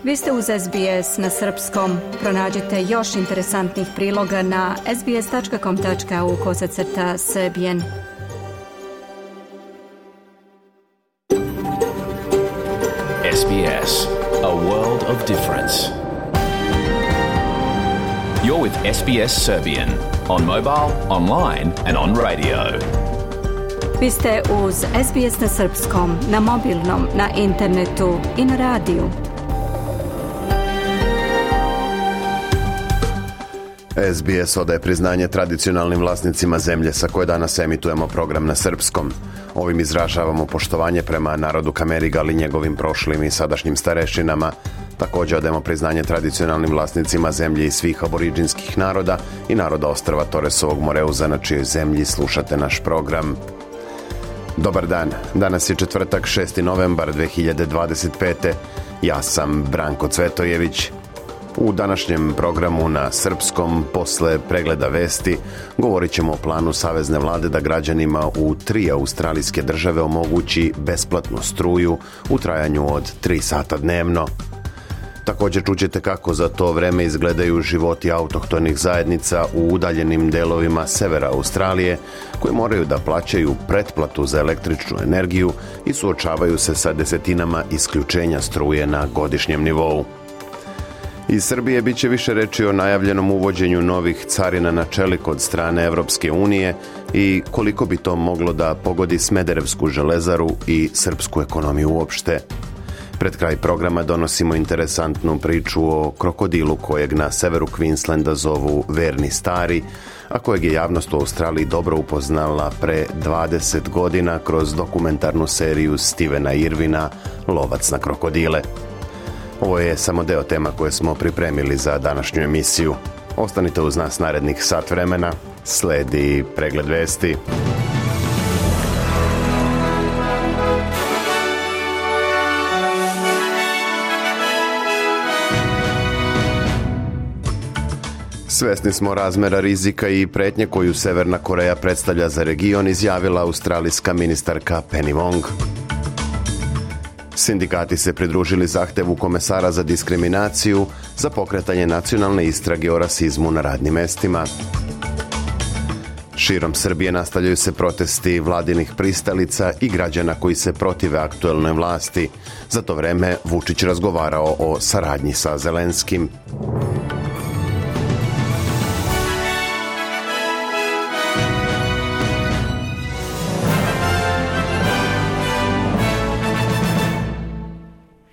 Vi ste uz SBS na srpskom. Pronađite još interesantnih priloga na sbs.com.au/serbian. SBS, a world of difference. You're with SBS Serbian on mobile, online and on radio. Vi ste uz SBS na srpskom, na mobilnom, na internetu i na radiju. SBS odaje priznanje tradicionalnim vlasnicima zemlje sa koje danas emitujemo program na srpskom. Ovim izražavamo poštovanje prema narodu Kamerigal i njegovim prošlim i sadašnjim starešinama. Također odajemo priznanje tradicionalnim vlasnicima zemlje i svih aboriđinskih naroda i naroda ostrva Toresovog Moreuza, na čijoj zemlji slušate naš program. Dobar dan, danas je četvrtak 6. novembar 2025. Ja sam Branko Cvetojević. U današnjem programu na srpskom, posle pregleda vesti, govorit ćemo o planu Savezne vlade da građanima u 3 australijske države omogući besplatnu struju u trajanju od 3 sata dnevno. Također čućete kako za to vreme izgledaju životi autohtonih zajednica u udaljenim delovima severa Australije, koji moraju da plaćaju pretplatu za električnu energiju i suočavaju se sa desetinama isključenja struje na godišnjem nivou. Iz Srbije bit će više reči o najavljenom uvođenju novih carina na čelik od strane Evropske unije i koliko bi to moglo da pogodi Smederevsku železaru i srpsku ekonomiju uopšte. Pred kraj programa donosimo interesantnu priču o krokodilu kojeg na severu Queenslanda zovu Verni stari, a kojeg je javnost u Australiji dobro upoznala pre 20 godina kroz dokumentarnu seriju Stevena Irvina Lovac na krokodile. Ovo je samo deo tema koje smo pripremili za današnju emisiju. Ostanite uz nas narednih sat vremena. Sledi pregled vesti. Svesni smo razmera rizika i pretnje koju Severna Koreja predstavlja za region, izjavila australijska ministarka Penny Wong. Sindikati se pridružili zahtevu komesara za diskriminaciju za pokretanje nacionalne istrage o rasizmu na radnim mestima. Širom Srbije nastavljaju se protesti vladinih pristalica i građana koji se protive aktuelnoj vlasti. Za to vreme Vučić razgovarao o saradnji sa Zelenskim.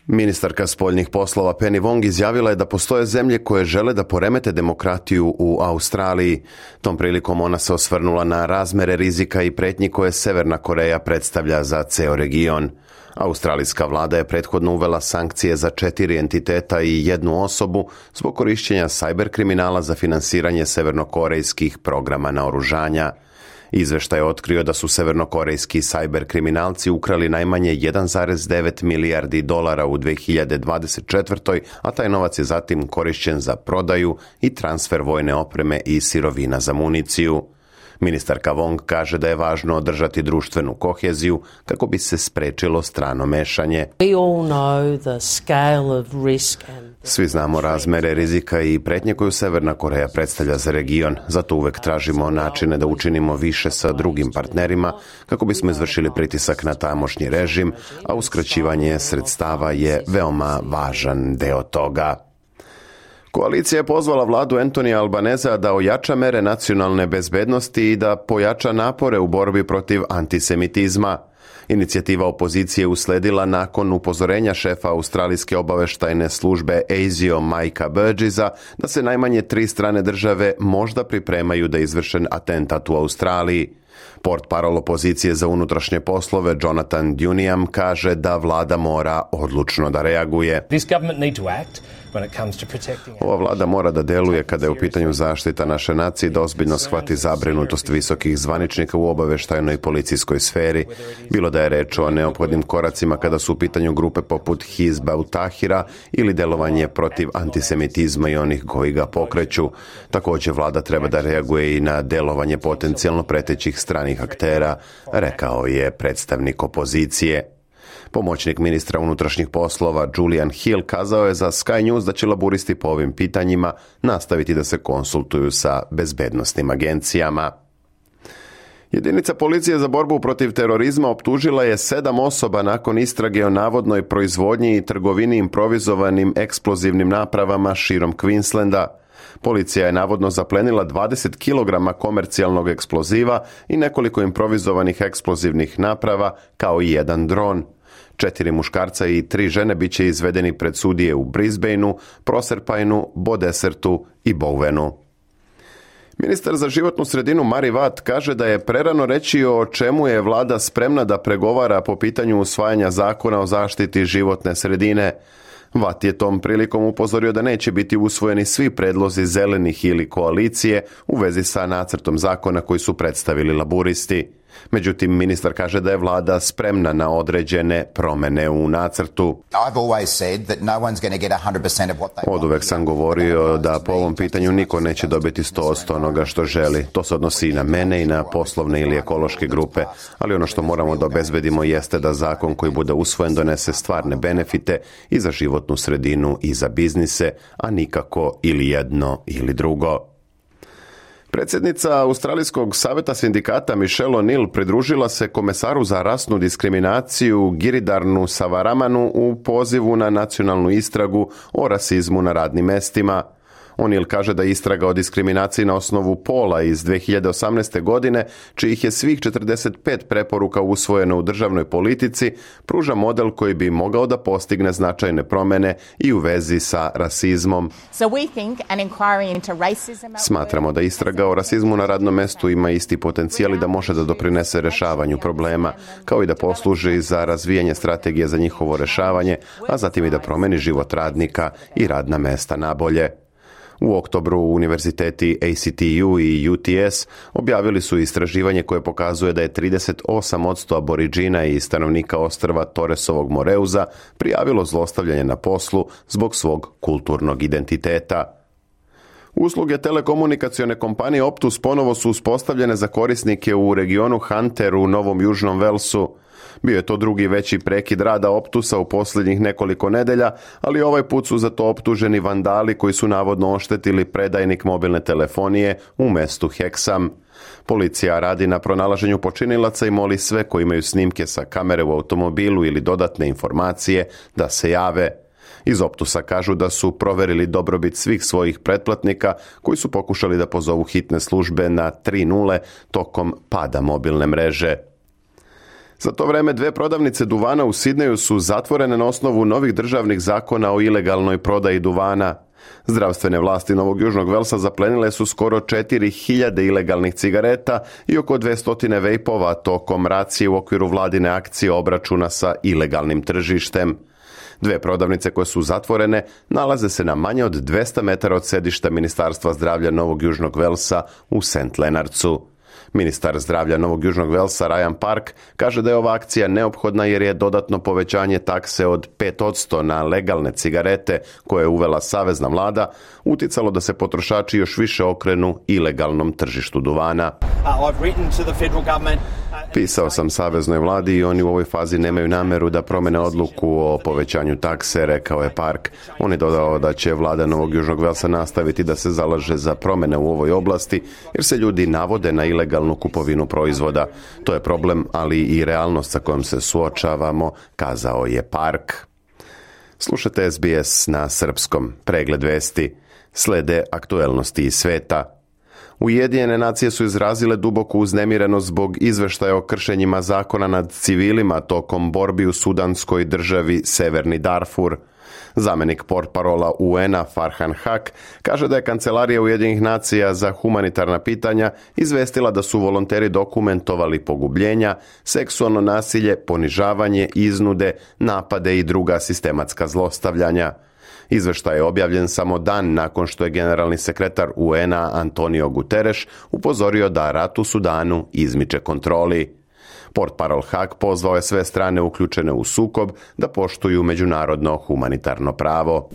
Ministarka spoljnih poslova Penny Wong izjavila je da postoje zemlje koje žele da poremete demokratiju u Australiji. Tom prilikom ona se osvrnula na razmere rizika i pretnji koje Severna Koreja predstavlja za ceo region. Australijska vlada je prethodno uvela sankcije za 4 entiteta i 1 osobu zbog korišćenja sajber kriminala za finansiranje severnokorejskih programa naoružanja. Izveštaj je otkrio da su severnokorejski sajber kriminalci ukrali najmanje 1,9 milijardi dolara u 2024. a taj novac je zatim korišćen za prodaju i transfer vojne opreme i sirovina za municiju. Ministarka Wong kaže da je važno održati društvenu koheziju kako bi se sprečilo strano mešanje. Svi znamo razmere rizika i pretnje koju Severna Koreja predstavlja za region, zato uvek tražimo načine da učinimo više sa drugim partnerima kako bismo izvršili pritisak na tamošnji režim, a uskraćivanje sredstava je veoma važan deo toga. Koalicija je pozvala vladu Antonija Albaneza da ojača mere nacionalne bezbednosti i da pojača napore u borbi protiv antisemitizma. Inicijativa opozicije usledila nakon upozorenja šefa australijske obaveštajne službe ASIO Mikea Burgessa da se najmanje 3 strane države možda pripremaju da izvrše atentat u Australiji. Portparol opozicije za unutrašnje poslove Jonathan Duniam kaže da vlada mora odlučno da reaguje. Ova vlada mora da deluje kada je u pitanju zaštita naše nacije, da ozbiljno shvati zabrinutost visokih zvaničnika u obaveštajnoj i policijskoj sferi, bilo da je reč o neophodnim koracima kada su u pitanju grupe poput Hizba ut-Tahira ili delovanje protiv antisemitizma i onih koji ga pokreću. Također vlada treba da reaguje i na delovanje potencijalno pretećih stranih aktera, rekao je predstavnik opozicije. Pomoćnik ministra unutrašnjih poslova Julian Hill kazao je za Sky News da će laburisti po ovim pitanjima nastaviti da se konsultuju sa bezbednosnim agencijama. Jedinica policije za borbu protiv terorizma optužila je 7 osoba nakon istrage o navodnoj proizvodnji i trgovini improvizovanim eksplozivnim napravama širom Queenslanda. Policija je navodno zaplenila 20 kg komercijalnog eksploziva i nekoliko improvizovanih eksplozivnih naprava, kao i jedan dron. 4 muškarca i 3 žene bit će izvedeni pred sudije u Brisbaneu, Proserpineu, Bodesertu i Bowenu. Ministar za životnu sredinu Mari Watt kaže da je prerano reći o čemu je vlada spremna da pregovara po pitanju usvajanja zakona o zaštiti životne sredine. Watt je tom prilikom upozorio da neće biti usvojeni svi predlozi zelenih ili koalicije u vezi sa nacrtom zakona koji su predstavili laburisti. Međutim, ministar kaže da je vlada spremna na određene promene u nacrtu. Oduvek sam govorio da po ovom pitanju niko neće dobiti 100% onoga što želi. To se odnosi i na mene i na poslovne ili ekološke grupe. Ali ono što moramo da obezbedimo jeste da zakon koji bude usvojen donese stvarne benefite i za životnu sredinu i za biznise, a nikako ili jedno ili drugo. Predsjednica Australijskog saveta sindikata Michelle O'Neill pridružila se komesaru za rasnu diskriminaciju Giridarnu Savaramanu u pozivu na nacionalnu istragu o rasizmu na radnim mestima. O'Neill kaže da istraga o diskriminaciji na osnovu pola iz 2018. godine, čijih je svih 45 preporuka usvojeno u državnoj politici, pruža model koji bi mogao da postigne značajne promjene i u vezi sa rasizmom. Smatramo da istraga o rasizmu na radnom mestu ima isti potencijal i da može da doprinese rešavanju problema, kao i da posluži za razvijanje strategije za njihovo rešavanje, a zatim i da promeni život radnika i radna mesta nabolje. U oktobru univerziteti ACTU i UTS objavili su istraživanje koje pokazuje da je 38% aboriđina i stanovnika ostrva Torresovog Moreuza prijavilo zlostavljanje na poslu zbog svog kulturnog identiteta. Usluge telekomunikacione kompanije Optus ponovo su uspostavljene za korisnike u regionu Hunter u Novom Južnom Velsu. Bio je to drugi veći prekid rada Optusa u posljednjih nekoliko nedelja, ali ovaj put su za to optuženi vandali koji su navodno oštetili predajnik mobilne telefonije u mestu Hexham. Policija radi na pronalaženju počinilaca i moli sve koji imaju snimke sa kamere u automobilu ili dodatne informacije da se jave. Iz Optusa kažu da su proverili dobrobit svih svojih pretplatnika koji su pokušali da pozovu hitne službe na 3.0 tokom pada mobilne mreže. Za to vreme 2 prodavnice duvana u Sidneju su zatvorene na osnovu novih državnih zakona o ilegalnoj prodaji duvana. Zdravstvene vlasti Novog Južnog Velsa zaplenile su skoro 4.000 ilegalnih cigareta i oko 200 vejpova tokom racije u okviru vladine akcije obračuna sa ilegalnim tržištem. 2 prodavnice koje su zatvorene nalaze se na manje od 200 metara od sedišta Ministarstva zdravlja Novog Južnog Velsa u St. Leonardsu. Ministar zdravlja Novog Južnog Velsa Ryan Park kaže da je ova akcija neophodna jer je dodatno povećanje takse od 5% na legalne cigarete koje je uvela savezna vlada uticalo da se potrošači još više okrenu ilegalnom tržištu duvana. Pisao sam saveznoj vladi i oni u ovoj fazi nemaju nameru da promene odluku o povećanju takse, rekao je Park. On je dodao da će vlada Novog Južnog Velsa nastaviti da se zalaže za promene u ovoj oblasti jer se ljudi navode na ilegalnu kupovinu proizvoda. To je problem, ali i realnost sa kojom se suočavamo, kazao je Park. Slušate SBS na srpskom. Pregled vesti. Slede aktuelnosti iz sveta. Ujedinjene nacije su izrazile duboku uznemirenost zbog izveštaja o kršenjima zakona nad civilima tokom borbi u sudanskoj državi Severni Darfur. Zamenik portparola UN-a Farhan Haq kaže da je Kancelarija Ujedinjenih nacija za humanitarna pitanja izvestila da su volonteri dokumentovali pogubljenja, seksualno nasilje, ponižavanje, iznude, napade i druga sistematska zlostavljanja. Izveštaj je objavljen samo dan nakon što je generalni sekretar UN-a Antonio Guterres upozorio da rat u Sudanu izmiče kontroli. Portparol Haq pozvao je sve strane uključene u sukob da poštuju međunarodno humanitarno pravo.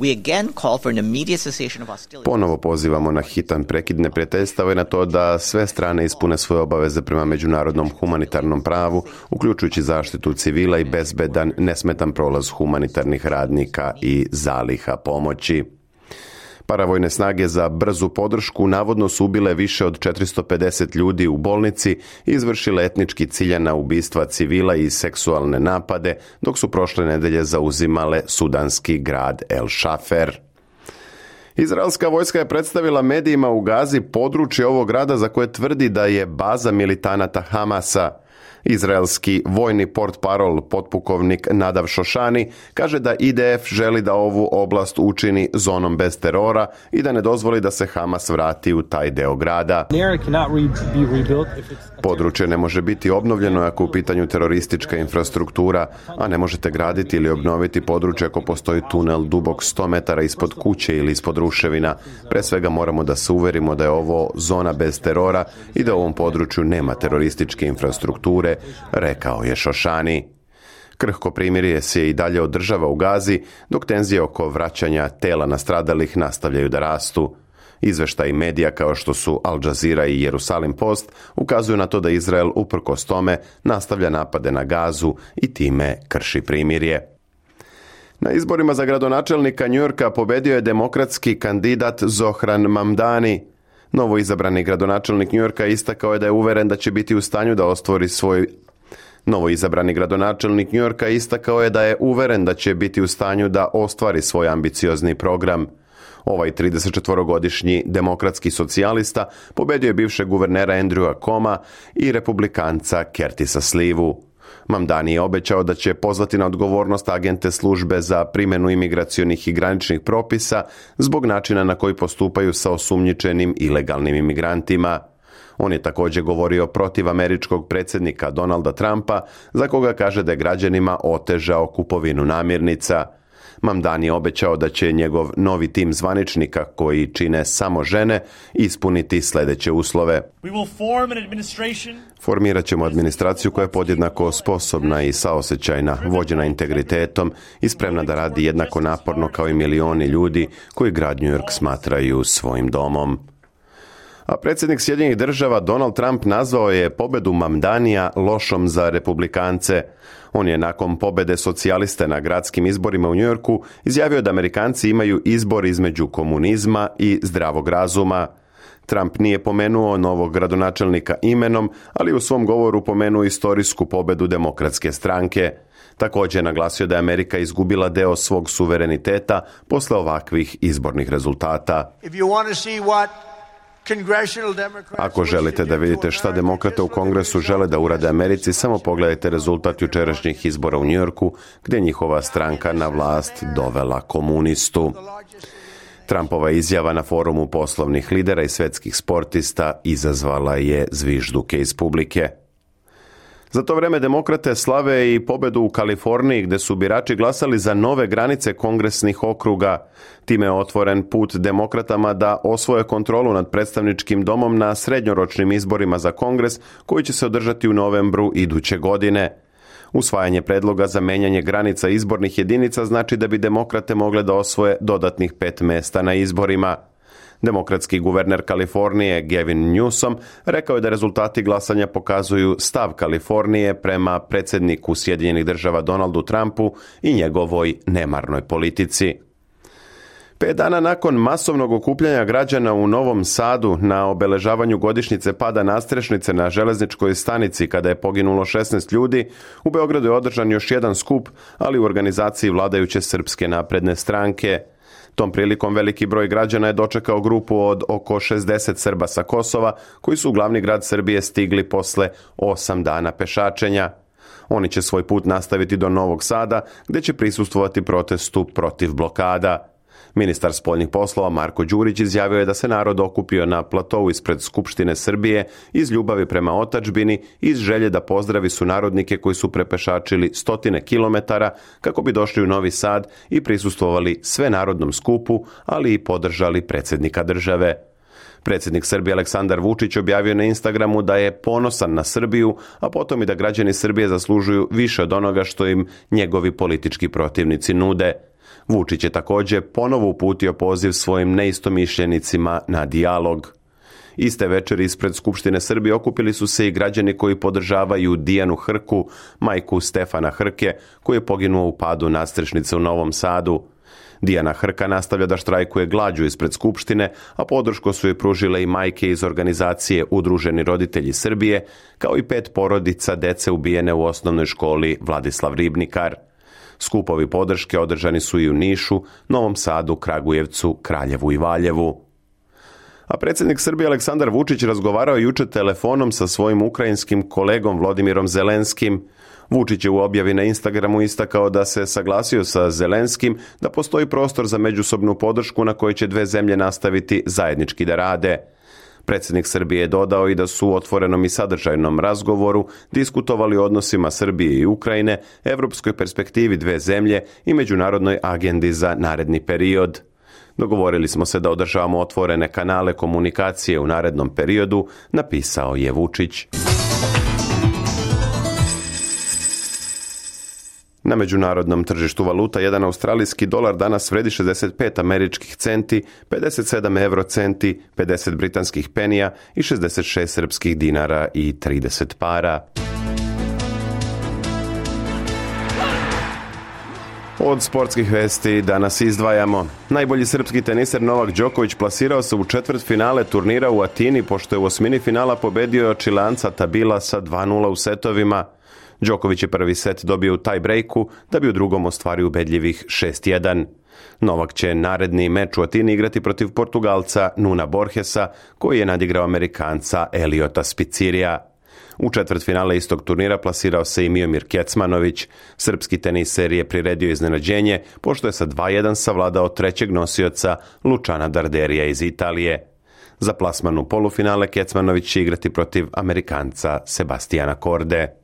Ponovo pozivamo na hitan prekid neprijateljstava i na to da sve strane ispune svoje obaveze prema međunarodnom humanitarnom pravu, uključujući zaštitu civila i bezbedan, nesmetan prolaz humanitarnih radnika i zaliha pomoći. Paravojne snage za brzu podršku navodno su ubile više od 450 ljudi u bolnici i izvršile etnički ciljana ubistva civila i seksualne napade, dok su prošle nedelje zauzimale sudanski grad El Šafer. Izraelska vojska je predstavila medijima u Gazi područje ovog grada za koje tvrdi da je baza militanata Hamasa. Izraelski vojni portparol potpukovnik Nadav Šošani kaže da IDF želi da ovu oblast učini zonom bez terora i da ne dozvoli da se Hamas vrati u taj deo grada. Područje ne može biti obnovljeno ako u pitanju teroristička infrastruktura, a ne možete graditi ili obnoviti područje ako postoji tunel dubok 100 metara ispod kuće ili ispod ruševina. Pre svega moramo da se uverimo da je ovo zona bez terora i da u ovom području nema terorističke infrastrukture, rekao je Šošani. Krhko primirje se i dalje održava u Gazi, dok tenzije oko vraćanja tela nastradalih nastavljaju da rastu. Izveštaji medija kao što su Al Jazeera i Jerusalim Post ukazuju na to da Izrael uprkos tome nastavlja napade na Gazu i time krši primirje. Na izborima za gradonačelnika Njujorka pobedio je demokratski kandidat Zohran Mamdani. Novo izabrani gradonačelnik Njujorka istakao je da je uveren da će biti u stanju da ostvari svoj ambiciozni program. Ovaj 34-godišnji demokratski socijalista pobedio je bivšeg guvernera Andrewa Coma i republikanca Curtisa Slivu. Mamdani je obećao da će pozvati na odgovornost agente službe za primjenu imigracionih i graničnih propisa zbog načina na koji postupaju sa osumnjičenim ilegalnim imigrantima. On je također govorio protiv američkog predsjednika Donalda Trumpa, za koga kaže da je građanima otežao kupovinu namirnica. Mamdani je obećao da će njegov novi tim zvaničnika, koji čine samo žene, ispuniti sljedeće uslove. Formirat ćemo administraciju koja je podjednako sposobna i saosećajna, vođena integritetom i spremna da radi jednako naporno kao i milioni ljudi koji grad New York smatraju svojim domom. A predsjednik Sjedinjenih Država Donald Trump nazvao je pobedu Mamdanija lošom za republikance. On je nakon pobede socijaliste na gradskim izborima u Njujorku izjavio da Amerikanci imaju izbor između komunizma i zdravog razuma. Trump nije pomenuo novog gradonačelnika imenom, ali u svom govoru pomenuo istorijsku pobedu demokratske stranke. Također je naglasio da je Amerika izgubila deo svog suvereniteta posle ovakvih izbornih rezultata. Ako želite da vidite šta demokrate u Kongresu žele da urade Americi, samo pogledajte rezultat jučerašnjih izbora u Njujorku, gdje njihova stranka na vlast dovela komunistu. Trumpova izjava na forumu poslovnih lidera i svetskih sportista izazvala je zvižduke iz publike. Za to vreme demokrate slave i pobedu u Kaliforniji, gdje su birači glasali za nove granice kongresnih okruga. Time je otvoren put demokratama da osvoje kontrolu nad predstavničkim domom na srednjoročnim izborima za Kongres, koji će se održati u novembru iduće godine. Usvajanje predloga za menjanje granica izbornih jedinica znači da bi demokrate mogle da osvoje dodatnih 5 mesta na izborima. Demokratski guverner Kalifornije Gavin Newsom rekao je da rezultati glasanja pokazuju stav Kalifornije prema predsjedniku Sjedinjenih Država Donaldu Trumpu i njegovoj nemarnoj politici. 5 dana nakon masovnog okupljanja građana u Novom Sadu na obeležavanju godišnjice pada nadstrešnice na železničkoj stanici kada je poginulo 16 ljudi, u Beogradu je održan još jedan skup, ali u organizaciji vladajuće Srpske napredne stranke. Tom prilikom veliki broj građana je dočekao grupu od oko 60 Srba sa Kosova, koji su u glavni grad Srbije stigli posle 8 dana pešačenja. Oni će svoj put nastaviti do Novog Sada, gdje će prisustvovati protestu protiv blokada. Ministar spoljnih poslova Marko Đurić izjavio je da se narod okupio na platovu ispred Skupštine Srbije iz ljubavi prema otadžbini i iz želje da pozdravi sunarodnike koji su prepešačili 100 kilometara kako bi došli u Novi Sad i prisustvovali svenarodnom skupu, ali i podržali predsjednika države. Predsjednik Srbije Aleksandar Vučić objavio na Instagramu da je ponosan na Srbiju, a potom i da građani Srbije zaslužuju više od onoga što im njegovi politički protivnici nude. Vučić je također ponovo uputio poziv svojim neistomišljenicima na dijalog. Iste večeri ispred Skupštine Srbije okupili su se i građani koji podržavaju Dijanu Hrku, majku Stefana Hrke, koji je poginuo u padu nadstrešnice u Novom Sadu. Dijana Hrka nastavlja da štrajkuje glađu ispred Skupštine, a podršku su joj pružile i majke iz organizacije Udruženi roditelji Srbije, kao i 5 porodica dece ubijene u osnovnoj školi Vladislav Ribnikar. Skupovi podrške održani su i u Nišu, Novom Sadu, Kragujevcu, Kraljevu i Valjevu. A predsjednik Srbije Aleksandar Vučić razgovarao jučer telefonom sa svojim ukrajinskim kolegom Vladimirom Zelenskim. Vučić je u objavi na Instagramu istakao da se saglasio sa Zelenskim da postoji prostor za međusobnu podršku na kojoj će dve zemlje nastaviti zajednički da rade. Predsjednik Srbije je dodao i da su u otvorenom i sadržajnom razgovoru diskutovali o odnosima Srbije i Ukrajine, evropskoj perspektivi dve zemlje i međunarodnoj agendi za naredni period. Dogovorili smo se da održavamo otvorene kanale komunikacije u narednom periodu, napisao je Vučić. Na međunarodnom tržištu valuta jedan australijski dolar danas vredi 65 američkih centi, 57 eurocenti, 50 britanskih penija i 66 srpskih dinara i 30 para. Od sportskih vesti danas izdvajamo. Najbolji srpski teniser Novak Đoković plasirao se u četvrtfinale turnira u Atini, pošto je u osmini finala pobedio Čileanca Tabila sa 2:0 u setovima. Đoković je prvi set dobio u tie-breaku, da bi u drugom ostvario ubedljivih 6:1. Novak će naredni meč u Atini igrati protiv Portugalca Nuna Borgesa, koji je nadigrao Amerikanca Eliota Spicirija. U četvrtfinale istog turnira plasirao se i Miomir Kecmanović. Srpski teniser je priredio iznenađenje, pošto je sa 2:1 savladao trećeg nosioca Lučana Darderija iz Italije. Za plasman u polufinale Kecmanović će igrati protiv Amerikanca Sebastijana Korde.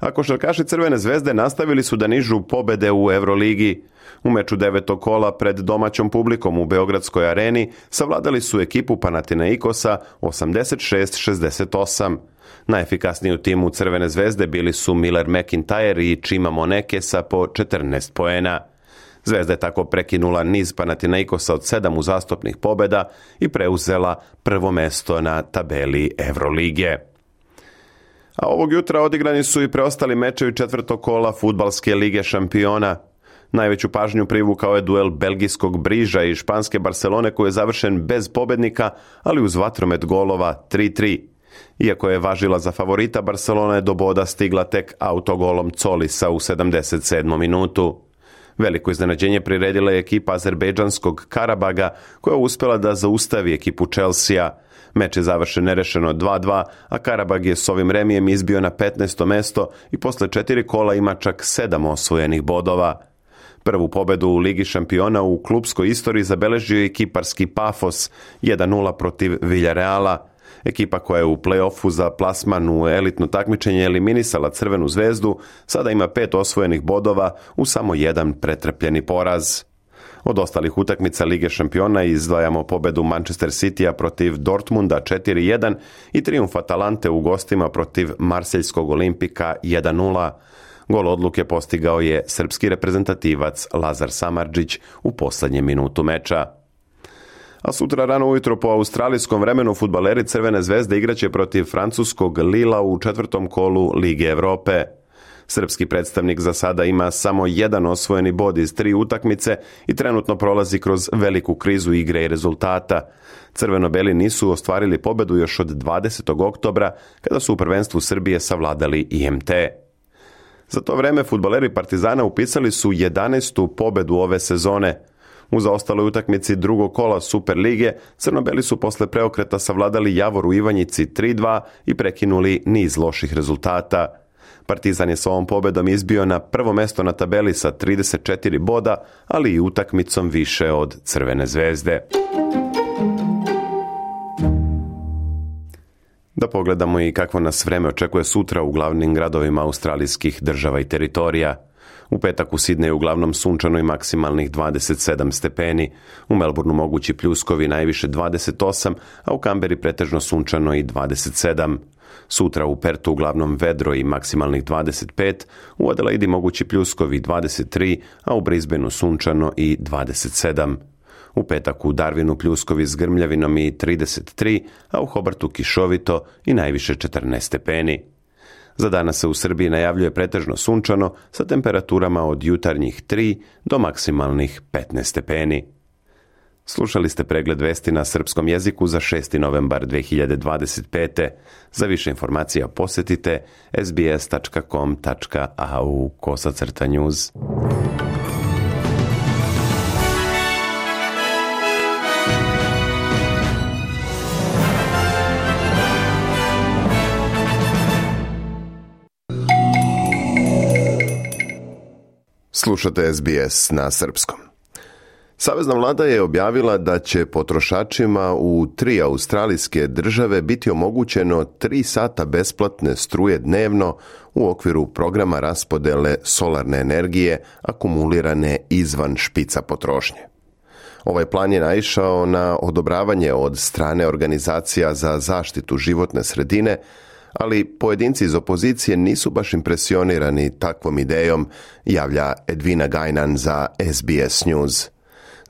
A košarkaši Crvene zvezde nastavili su da nižu pobede u Euroligi. U meču 9. kola pred domaćom publikom u Beogradskoj areni savladali su ekipu Panathinaikosa 86-68. Najefikasniji u timu Crvene zvezde bili su Miller McIntyre i Chima Moneke sa po 14 poena. Zvezda je tako prekinula niz Panathinaikosa od 7 uzastopnih pobeda i preuzela prvo mesto na tabeli Evrolige. A ovog jutra odigrani su i preostali mečevi 4. kola Fudbalske lige šampiona. Najveću pažnju privukao je duel belgijskog Briža i španske Barcelone koji je završen bez pobednika, ali uz vatromet golova 3:3. Iako je važila za favorita, Barcelona je do boda stigla tek autogolom Colisa u 77. minutu. Veliko iznenađenje priredila je ekipa azerbejdžanskog Karabaga, koja je uspjela da zaustavi ekipu Chelsea. Meč je završen nerešeno 2:2, a Karabag je s ovim remijem izbio na 15. mesto i posle 4 kola ima čak 7 osvojenih bodova. Prvu pobedu u Ligi šampiona u klubskoj istoriji zabeležio je kiparski Pafos 1:0 protiv Villarreala. Ekipa koja je u play-offu za plasman u elitno takmičenje eliminisala Crvenu zvezdu, sada ima 5 osvojenih bodova u samo jedan pretrpljeni poraz. Od ostalih utakmica Lige šampiona izdvajamo pobedu Manchester Citya protiv Dortmunda 4:1 i trijumf Atalante u gostima protiv Marseljskog Olimpika 1:0. Gol odluke postigao je srpski reprezentativac Lazar Samardžić u posljednjem minutu meča. A sutra rano ujutro po australijskom vremenu fudbaleri Crvene zvezde igraće protiv francuskog Lila u 4. kolu Lige Evrope. Srpski predstavnik za sada ima samo jedan osvojeni bod iz 3 utakmice i trenutno prolazi kroz veliku krizu igre i rezultata. Crveno-beli nisu ostvarili pobedu još od 20. oktobra, kada su u prvenstvu Srbije savladali IMT. Za to vreme fudbaleri Partizana upisali su 11. pobedu ove sezone. U zaostaloj utakmici drugog kola Super lige, crno-beli su posle preokreta savladali Javor u Ivanjici 3:2 i prekinuli niz loših rezultata. Partizan je s ovom pobedom izbio na prvo mesto na tabeli sa 34 boda, ali i utakmicom više od Crvene zvezde. Da pogledamo i kakvo nas vreme očekuje sutra u glavnim gradovima australijskih država i teritorija. U petak u Sidneju uglavnom sunčano i maksimalnih 27 stepeni, u Melbourneu mogući pljuskovi najviše 28, a u Kamberi pretežno sunčano i 27. Sutra u Pertu uglavnom vedro i maksimalnih 25, u Adelaidi mogući pljuskovi 23, a u Brisbaneu sunčano i 27. U petak u Darwinu pljuskovi s grmljavinom i 33, a u Hobartu kišovito i najviše 14 stepeni. Za danas se u Srbiji najavljuje pretežno sunčano sa temperaturama od jutarnjih 3 do maksimalnih 15 stepeni. Slušali ste pregled vesti na srpskom jeziku za 6. novembar 2025. Za više informacija posjetite sbs.com.au/news. Slušate SBS na srpskom. Savezna vlada je objavila da će potrošačima u 3 australijske države biti omogućeno 3 sata besplatne struje dnevno u okviru programa raspodele solarne energije akumulirane izvan špica potrošnje. Ovaj plan je naišao na odobravanje od strane organizacija za zaštitu životne sredine, ali pojedinci iz opozicije nisu baš impresionirani takvom idejom, javlja Edvina Gajnan za SBS News.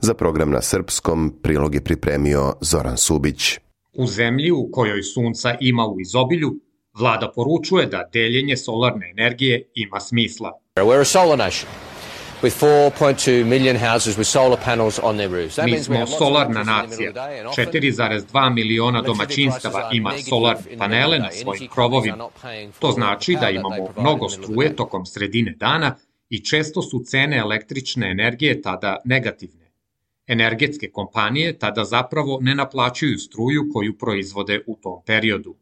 Za program na srpskom prilog je pripremio Zoran Subić. U zemlji u kojoj sunca ima u izobilju, vlada poručuje da deljenje solarne energije ima smisla. We're a solar nation. With 4.2 million houses with solar panels on their roofs. Mi smo solarna nacija. 4,2 miliona domaćinstava ima solarne panele na svojim krovovima. To znači da imamo mnogo struje tokom sredine dana i često su cene električne energije tada negativne. Energetske kompanije tada zapravo ne naplaćuju struju koju proizvode u tom periodu.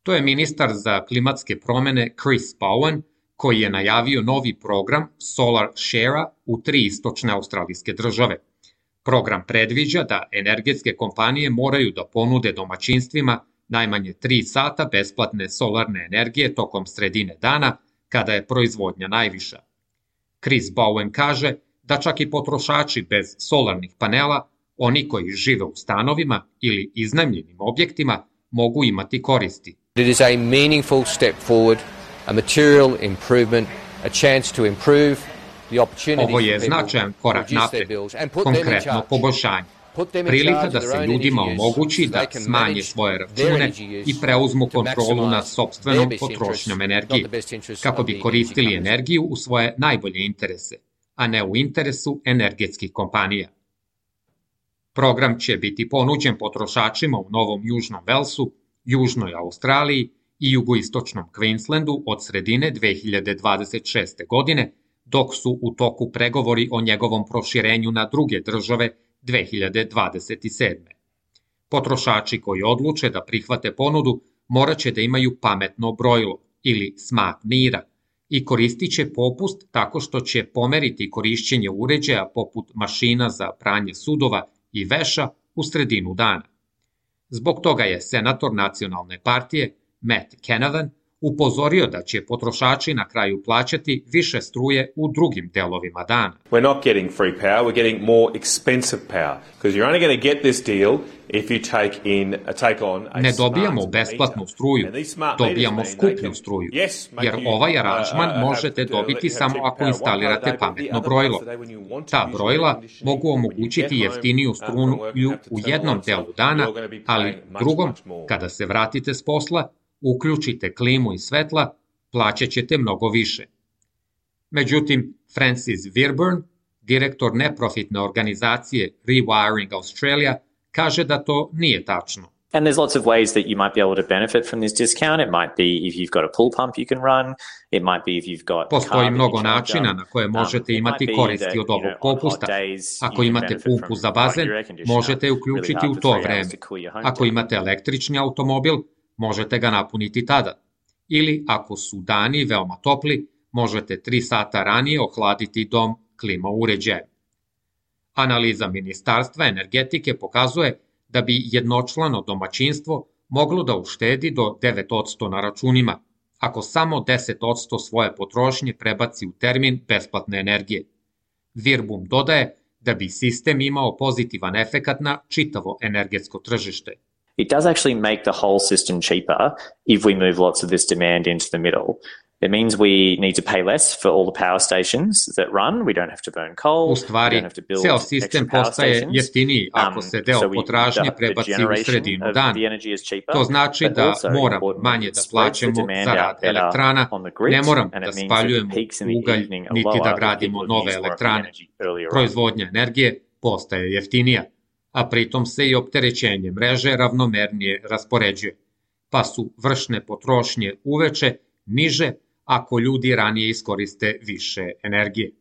To je ministar za klimatske promene Chris Bowen, koji je najavio novi program Solar Share-a u 3 istočne australijske države. Program predviđa da energetske kompanije moraju da ponude domaćinstvima najmanje 3 sata besplatne solarne energije tokom sredine dana, kada je proizvodnja najviša. Chris Bowen kaže da čak i potrošači bez solarnih panela, oni koji žive u stanovima ili iznajmljenim objektima, mogu imati koristi. It is a meaningful step forward, a material improvement, a chance to improve the opportunity. Ovo je značajan korak napred, konkretno poboljšanje. Prilika da se ljudima omogući da smanje svoje račune i preuzmu kontrolu nad sopstvenom potrošnjom energije, kako bi koristili energiju u svoje najbolje interese, a ne u interesu energetskih kompanija. Program će biti ponuđen potrošačima u Novom Južnom Velsu, Južnoj Australiji i jugoistočnom Queenslandu od sredine 2026. godine, dok su u toku pregovori o njegovom proširenju na druge države 2027. Potrošači koji odluče da prihvate ponudu morat će da imaju pametno brojilo ili smart meter i koristit će popust tako što će pomeriti korišćenje uređaja poput mašina za pranje sudova i veša u sredinu dana. Zbog toga je senator nacionalne partije Matt Canavan upozorio da će potrošači na kraju plaćati više struje u drugim delovima dana. We're not getting free power, we're getting more expensive power because you're only going to get this deal if you take on a Ne dobijamo besplatnu struju, dobijamo skuplju struju, jer ovaj aranžman možete dobiti samo ako instalirate pametno brojilo. Ta brojila mogu omogućiti jeftiniju struju u jednom delu dana, ali drugom, kada se vratite s posla, uključite klimu i svetla, plaćat ćete mnogo više. Međutim, Francis Virburn, direktor neprofitne organizacije Rewiring Australia, kaže da to nije tačno. And there's lots of ways that you might be able to benefit from this discount. It might be if you've got a pool pump you can run. It might be if you've got Postoji mnogo načina na koje možete imati koristi od ovog popusta. Ako imate pumpu za bazen, možete je uključiti u to vreme. Ako imate električni automobil, možete ga napuniti tada. Ili, ako su dani veoma topli, možete 3 sata ranije ohladiti dom klima uređajem. Analiza Ministarstva energetike pokazuje da bi jednočlano domaćinstvo moglo da uštedi do 9% na računima. ako samo 10% svoje potrošnje prebaci u termin besplatne energije. Virbum dodaje da bi sistem imao pozitivan efekat na čitavo energetsko tržište. It does actually make the whole system cheaper if we move lots of this demand into the middle. It means we need to pay less for all the power stations that run. We don't have to burn coal. U stvari, ceo sistem postaje jeftiniji ako se deo potražnje prebaci u sredinu dana. To znači da moramo manje da plaćamo za rad elektrana, ne moramo da spaljujemo ugalj niti da gradimo nove elektrane. Proizvodnja energije postaje jeftinija, a pritom se i opterećenje mreže ravnomernije raspoređuje, pa su vršne potrošnje uveče niže ako ljudi ranije iskoriste više energije.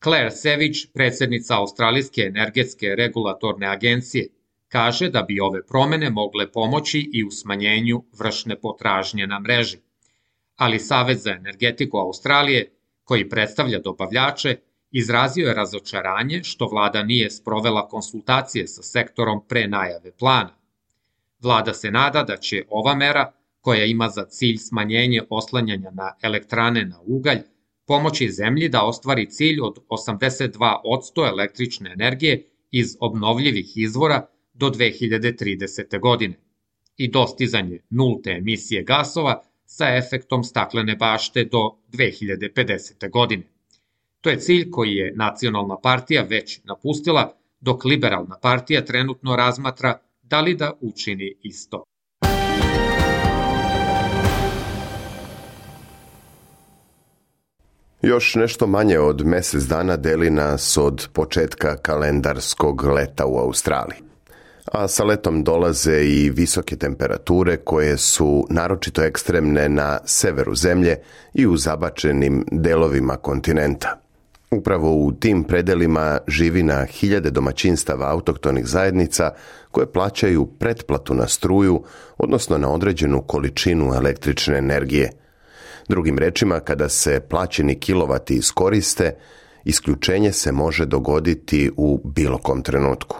Claire Savage, predsjednica Australijske energetske regulatorne agencije, kaže da bi ove promene mogle pomoći i u smanjenju vršne potražnje na mreži. Ali Savez za energetiku Australije, koji predstavlja dobavljače, izrazio je razočaranje što vlada nije sprovela konsultacije sa sektorom pre najave plana. Vlada se nada da će ova mera, koja ima za cilj smanjenje oslanjanja na elektrane na ugalj, pomoći zemlji da ostvari cilj od 82% električne energije iz obnovljivih izvora do 2030. godine i dostizanje nulte emisije gasova sa efektom staklene bašte do 2050. godine. To je cilj koji je Nacionalna partija već napustila, dok Liberalna partija trenutno razmatra da li da učini isto. Još nešto manje od mjesec dana deli nas od početka kalendarskog leta u Australiji. A sa letom dolaze i visoke temperature koje su naročito ekstremne na severu zemlje i u zabačenim delovima kontinenta. Upravo u tim predelima živi na hiljade domaćinstava autohtonih zajednica koje plaćaju pretplatu na struju, odnosno na određenu količinu električne energije. Drugim rečima, kada se plaćeni kilovati iskoriste, isključenje se može dogoditi u bilo kom trenutku.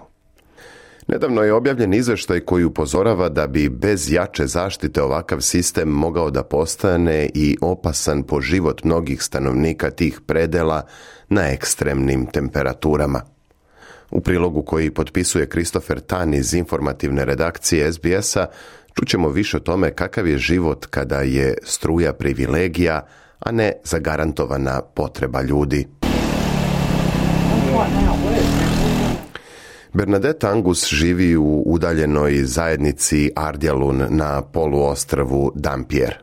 Nedavno je objavljen izveštaj koji upozorava da bi bez jače zaštite ovakav sistem mogao da postane i opasan po život mnogih stanovnika tih predela na ekstremnim temperaturama. U prilogu koji potpisuje Christopher Tan iz informativne redakcije SBS-a čućemo više o tome kakav je život kada je struja privilegija, a ne zagarantovana potreba ljudi. Bernadette Angus živi u udaljenoj zajednici Ardialun na poluostrvu Dampier.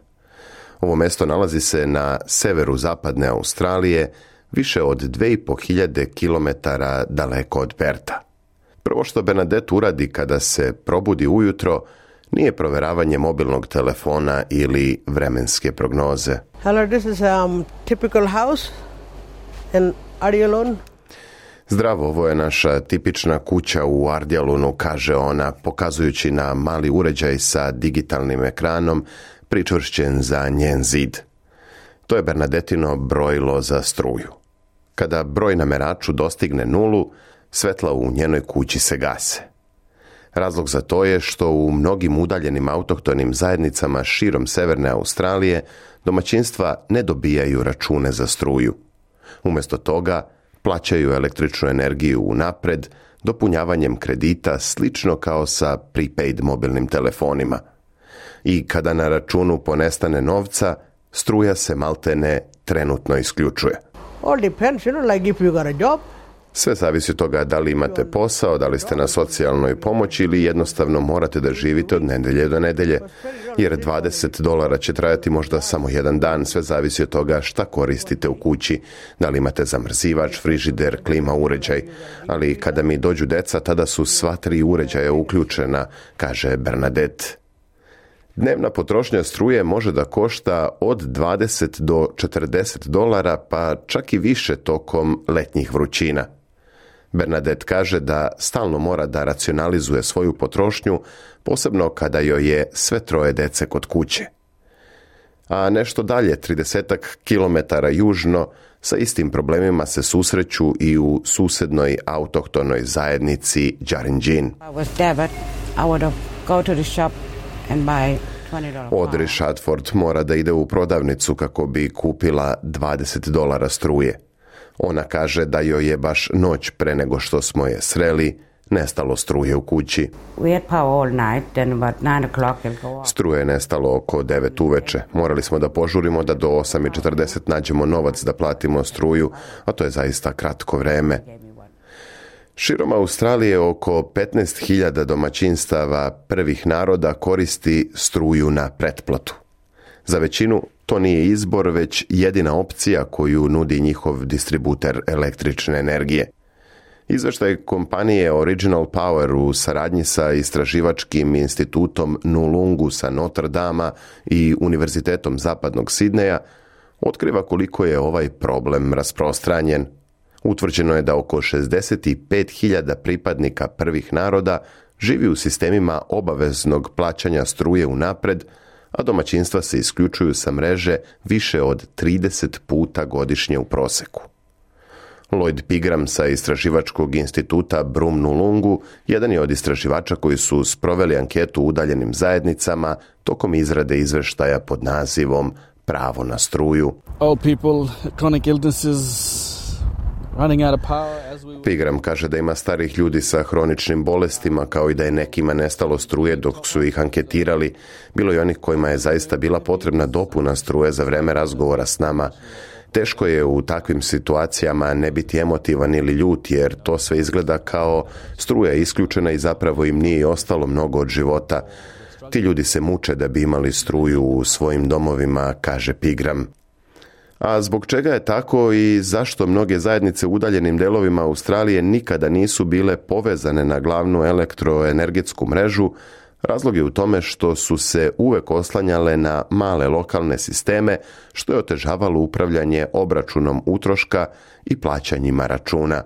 Ovo mesto nalazi se na severu zapadne Australije, više od 2500 km daleko od Perta. Prvo što Bernadette uradi kada se probudi ujutro nije proveravanje mobilnog telefona ili vremenske prognoze. Hello, this is typical house in Ardialun. Zdravo, ovo je naša tipična kuća u Ardialunu, kaže ona, pokazujući na mali uređaj sa digitalnim ekranom pričvršćen za njen zid. To je Bernadetino brojilo za struju. Kada broj na meraču dostigne nulu, svetla u njenoj kući se gase. Razlog za to je što u mnogim udaljenim autohtonim zajednicama širom severne Australije domaćinstva ne dobijaju račune za struju. Umjesto toga, plaćaju električnu energiju unapred, dopunjavanjem kredita slično kao sa prepaid mobilnim telefonima. I kada na računu ponestane novca, struja se maltene trenutno isključuje. All depends, like if you got a job. Sve zavisi od toga da li imate posao, da li ste na socijalnoj pomoći ili jednostavno morate da živite od nedelje do nedelje, jer $20 će trajati možda samo jedan dan, sve zavisi od toga šta koristite u kući, da li imate zamrzivač, frižider, klima uređaj, ali kada mi dođu deca, tada su sva 3 uređaja uključena, kaže Bernadette. Dnevna potrošnja struje može da košta od $20 do $40, pa čak i više tokom letnjih vrućina. Bernadette kaže da stalno mora da racionalizuje svoju potrošnju, posebno kada joj je sve 3 dece kod kuće. A nešto dalje, 30 kilometara južno, sa istim problemima se susreću i u susednoj autohtonoj zajednici Djarinjin. Audrey Shadford mora da ide u prodavnicu kako bi kupila $20 struje. Ona kaže da joj je baš noć pre nego što smo je sreli nestalo struje u kući. Struje je nestalo oko 9 uveče. Morali smo da požurimo da do 8:40 nađemo novac da platimo struju, a to je zaista kratko vreme. Širom Australije oko 15.000 domaćinstava prvih naroda koristi struju na pretplatu. Za većinu to nije izbor, već jedina opcija koju nudi njihov distributer električne energije. Izveštaj kompanije Original Power u saradnji sa istraživačkim institutom Nulungu sa Notre Dama i Univerzitetom Zapadnog Sidneja otkriva koliko je ovaj problem rasprostranjen. Utvrđeno je da oko 65.000 pripadnika prvih naroda živi u sistemima obaveznog plaćanja struje unapred, a domaćinstva se isključuju sa mreže više od 30 puta godišnje u proseku. Lloyd Pigram sa istraživačkog instituta Brum Nulungu jedan je od istraživača koji su sproveli anketu u udaljenim zajednicama tokom izrade izveštaja pod nazivom Pravo na struju. Old people, chronic illnesses, Pigram kaže da ima starih ljudi sa hroničnim bolestima, kao i da je nekima nestalo struje dok su ih anketirali. Bilo je onih kojima je zaista bila potrebna dopuna struje za vreme razgovora s nama. Teško je u takvim situacijama ne biti emotivan ili ljut, jer to sve izgleda kao struja je isključena i zapravo im nije ostalo mnogo od života. Ti ljudi se muče da bi imali struju u svojim domovima, kaže Pigram. A zbog čega je tako i zašto mnoge zajednice u udaljenim delovima Australije nikada nisu bile povezane na glavnu elektroenergetsku mrežu, razlog je u tome što su se uvek oslanjale na male lokalne sisteme, što je otežavalo upravljanje obračunom utroška i plaćanjima računa.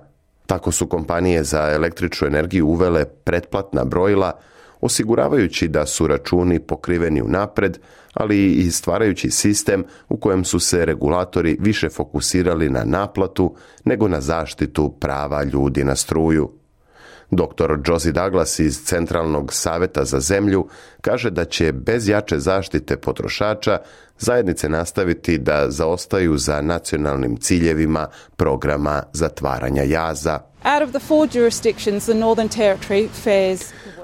Tako su kompanije za električnu energiju uvele pretplatna brojila, osiguravajući da su računi pokriveni unapred, ali i stvarajući sistem u kojem su se regulatori više fokusirali na naplatu nego na zaštitu prava ljudi na struju. Dr. Josie Douglas iz Centralnog saveta za zemlju kaže da će bez jače zaštite potrošača zajednice nastaviti da zaostaju za nacionalnim ciljevima programa zatvaranja jaza.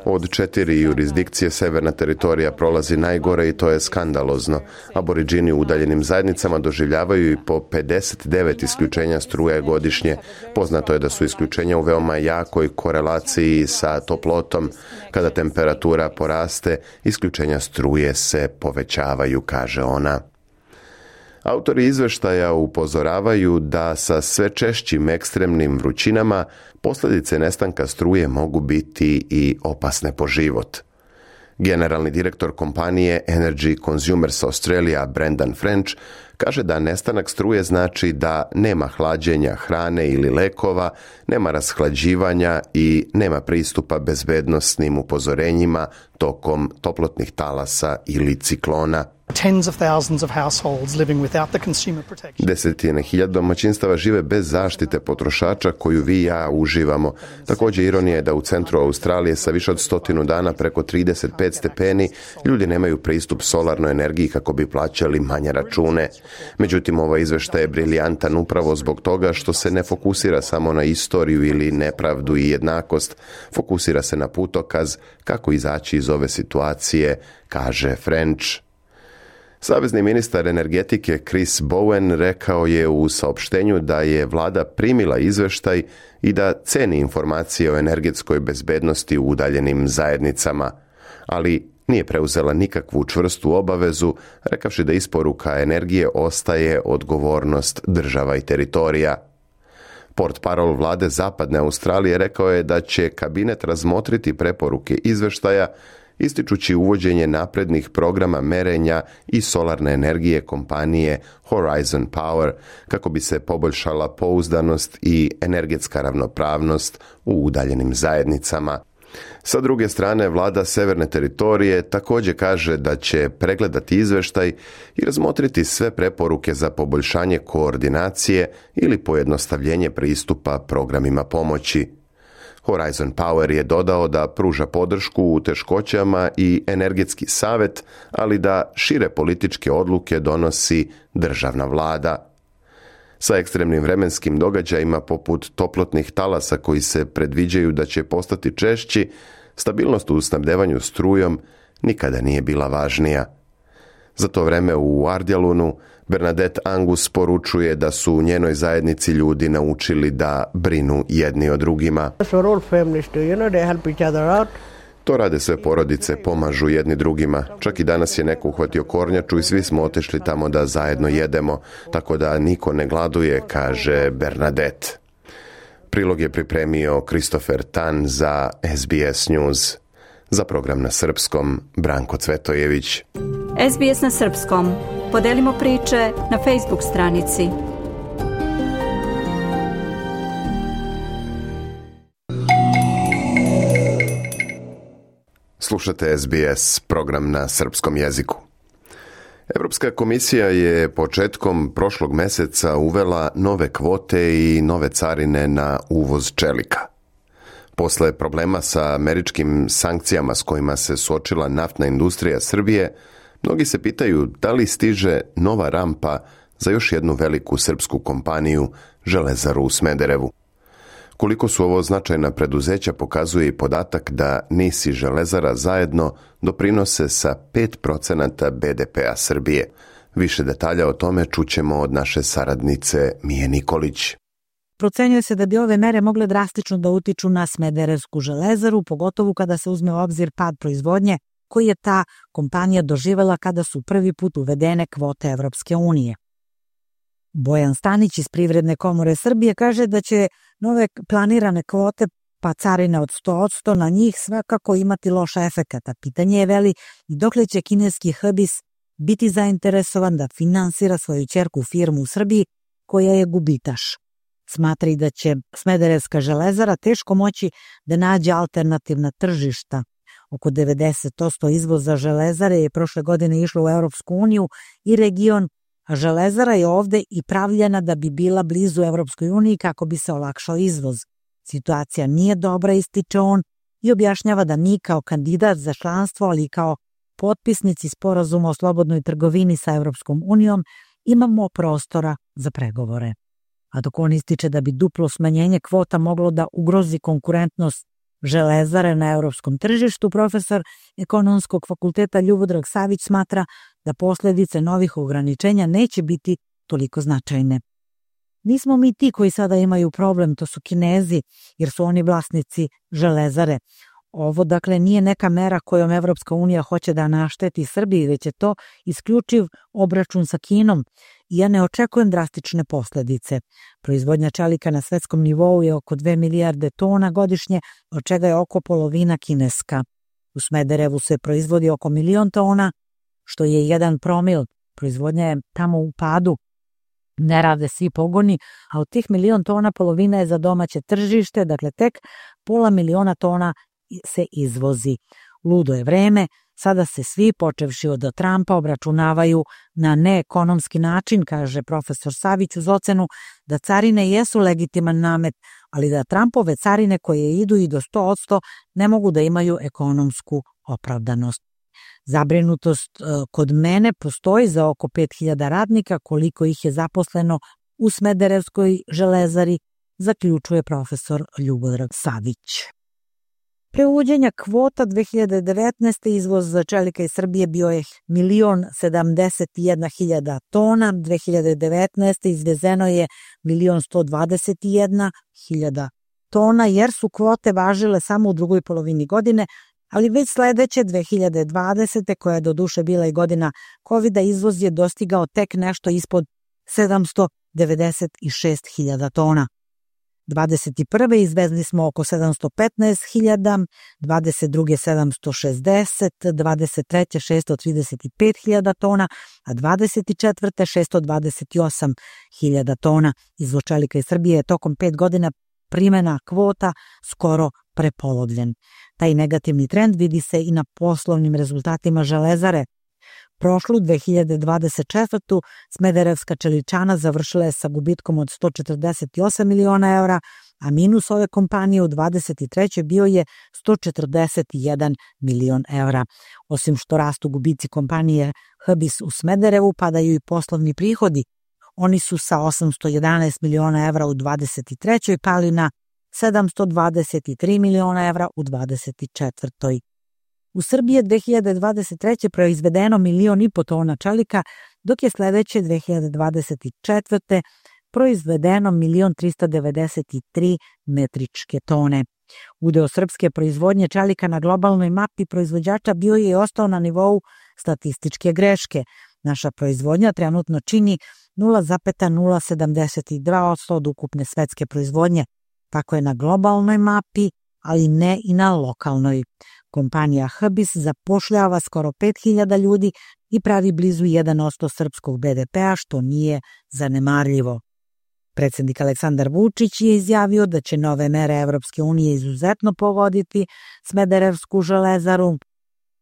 Od 4 jurisdikcije severna teritorija prolazi najgore i to je skandalozno. Aboriđini u udaljenim zajednicama doživljavaju i po 59 isključenja struje godišnje. Poznato je da su isključenja u veoma jakoj korelaciji sa toplotom. Kada temperatura poraste, isključenja struje se povećavaju, kaže ona. Autori izveštaja upozoravaju da sa sve češćim ekstremnim vrućinama posljedice nestanka struje mogu biti i opasne po život. Generalni direktor kompanije Energy Consumers Australia Brendan French kaže da nestanak struje znači da nema hlađenja hrane ili lekova, nema rashlađivanja i nema pristupa bezbednosnim upozorenjima tokom toplotnih talasa ili ciklona. Desetine hiljada domaćinstava žive bez zaštite potrošača koju vi i ja uživamo. Također ironija je da u centru Australije sa više od 100 dana preko 35 stepeni ljudi nemaju pristup solarnoj energiji kako bi plaćali manje račune. Međutim, ovaj izveštaj je briljantan upravo zbog toga što se ne fokusira samo na istoriju ili nepravdu i jednakost, fokusira se na putokaz kako izaći iz ove situacije, kaže French. Savezni ministar energetike Chris Bowen rekao je u saopštenju da je vlada primila izveštaj i da ceni informacije o energetskoj bezbednosti u udaljenim zajednicama, ali nije preuzela nikakvu čvrstu obavezu, rekavši da isporuka energije ostaje odgovornost država i teritorija. Portparol vlade Zapadne Australije rekao je da će kabinet razmotriti preporuke izveštaja, ističući uvođenje naprednih programa merenja i solarne energije kompanije Horizon Power kako bi se poboljšala pouzdanost i energetska ravnopravnost u udaljenim zajednicama. Sa druge strane, vlada Severne teritorije također kaže da će pregledati izveštaj i razmotriti sve preporuke za poboljšanje koordinacije ili pojednostavljenje pristupa programima pomoći. Horizon Power je dodao da pruža podršku u teškoćama i energetski savjet, ali da šire političke odluke donosi državna vlada. Sa ekstremnim vremenskim događajima poput toplotnih talasa koji se predviđaju da će postati češći, stabilnost u snabdevanju strujom nikada nije bila važnija. Za to vreme u Ardjalunu Bernadette Angus poručuje da su u njenoj zajednici ljudi naučili da brinu jedni o drugima. To rade sve porodice, pomažu jedni drugima. Čak i danas je neko uhvatio kornjaču i svi smo otišli tamo da zajedno jedemo, tako da niko ne gladuje, kaže Bernadette. Prilog je pripremio Christopher Tan za SBS News. Za program na srpskom, Branko Cvetojević. SBS na srpskom. Podelimo priče na Facebook stranici. Slušate SBS, program na srpskom jeziku. Evropska komisija je početkom prošlog meseca uvela nove kvote i nove carine na uvoz čelika. Posle problema sa američkim sankcijama s kojima se suočila naftna industrija Srbije, mnogi se pitaju da li stiže nova rampa za još jednu veliku srpsku kompaniju, Železaru u Smederevu. Koliko su ovo značajna preduzeća pokazuje i podatak da NIS i Železara zajedno doprinose sa 5% BDP-a Srbije. Više detalja o tome čućemo od naše saradnice Mije Nikolić. Procenjuje se da bi ove mere mogle drastično da utiču na Smederevsku železaru, pogotovo kada se uzme u obzir pad proizvodnje koji je ta kompanija doživela kada su prvi put uvedene kvote Evropske unije. Bojan Stanić iz Privredne komore Srbije kaže da će nove planirane kvote pa carine od 100% na njih svakako imati loš efekat. Pitanje je veli i dokle će kineski Hbis biti zainteresovan da finansira svoju ćerku firmu u Srbiji koja je gubitaš. Smatra i da će Smederevska železara teško moći da nađe alternativna tržišta. Oko 90% izvoza železare je prošle godine išlo u Evropsku uniju i region, a železara je ovde i pravljena da bi bila blizu Evropskoj uniji kako bi se olakšao izvoz. Situacija nije dobra, ističe on, i objašnjava da mi kao kandidat za članstvo, ali i kao potpisnici sporazuma o slobodnoj trgovini sa Evropskom unijom, imamo prostora za pregovore. A dok on ističe da bi duplo smanjenje kvota moglo da ugrozi konkurentnost železare na evropskom tržištu, profesor Ekonomskog fakulteta Ljubodrag Savić smatra da posljedice novih ograničenja neće biti toliko značajne. Nismo mi ti koji sada imaju problem, to su Kinezi, jer su oni vlasnici železare. Ovo, dakle, nije neka mera kojom Evropska unija hoće da našteti Srbiji, već je to isključiv obračun sa Kinom. I ja ne očekujem drastične posljedice. Proizvodnja čelika na svetskom nivou je oko 2 milijarde tona godišnje, od čega je oko polovina kineska. U Smederevu se proizvodi oko 1 milion tona, što je 1 promil. Proizvodnja je tamo u padu. Ne rade svi pogoni, a od tih 1 milion tona polovina je za domaće tržište, dakle tek 0,5 miliona tona se izvozi. Ludo je vreme, sada se svi, počevši od Trumpa, obračunavaju na neekonomski način, kaže profesor Savić uz ocenu da carine jesu legitiman namet, ali da Trumpove carine koje idu i do 100% ne mogu da imaju ekonomsku opravdanost. Zabrinutost kod mene postoji za oko 5.000 radnika, koliko ih je zaposleno u Smederevskoj železari, zaključuje profesor Ljubodrag Savić. Pre uvođenja kvota 2019. izvoz čelika iz Srbije bio je 1.071.000 tona, 2019. izvezeno je 1.121.000 tona, jer su kvote važile samo u drugoj polovini godine, ali već sledeće 2020. koja je doduše bila i godina COVID-a, izvoz je dostigao tek nešto ispod 796.000 tona. 21. izvezli smo oko 715.000, 22. 760, 23. 635.000 tona, a 24. 628.000 tona. Izvoz čelika iz Srbije je tokom 5 godina primjena kvota skoro prepolovljen. Taj negativni trend vidi se i na poslovnim rezultatima železare. Prošlu 2024. Smederevska čeličana završila je sa gubitkom od 148 miliona eura, a minus ove kompanije u 23. bio je 141 milion evra. Osim što rastu gubici kompanije Hbis u Smederevu, padaju i poslovni prihodi. Oni su sa 811 miliona evra u 23. pali na 723 miliona evra u 24. U Srbiji je 2023. proizvedeno 1,5 miliona tona čelika, dok je sledeće 2024. proizvedeno 1.393 metričke tone. Udeo srpske proizvodnje čelika na globalnoj mapi proizvođača bio je i ostao na nivou statističke greške. Naša proizvodnja trenutno čini 0,072% od ukupne svetske proizvodnje. Tako je na globalnoj mapi, ali ne i na lokalnoj. Kompanija Hbis zapošljava skoro 5.000 ljudi i pravi blizu 1% srpskog BDP-a, što nije zanemarljivo. Predsednik Aleksandar Vučić je izjavio da će nove mere Evropske unije izuzetno pogoditi Smederevsku železaru,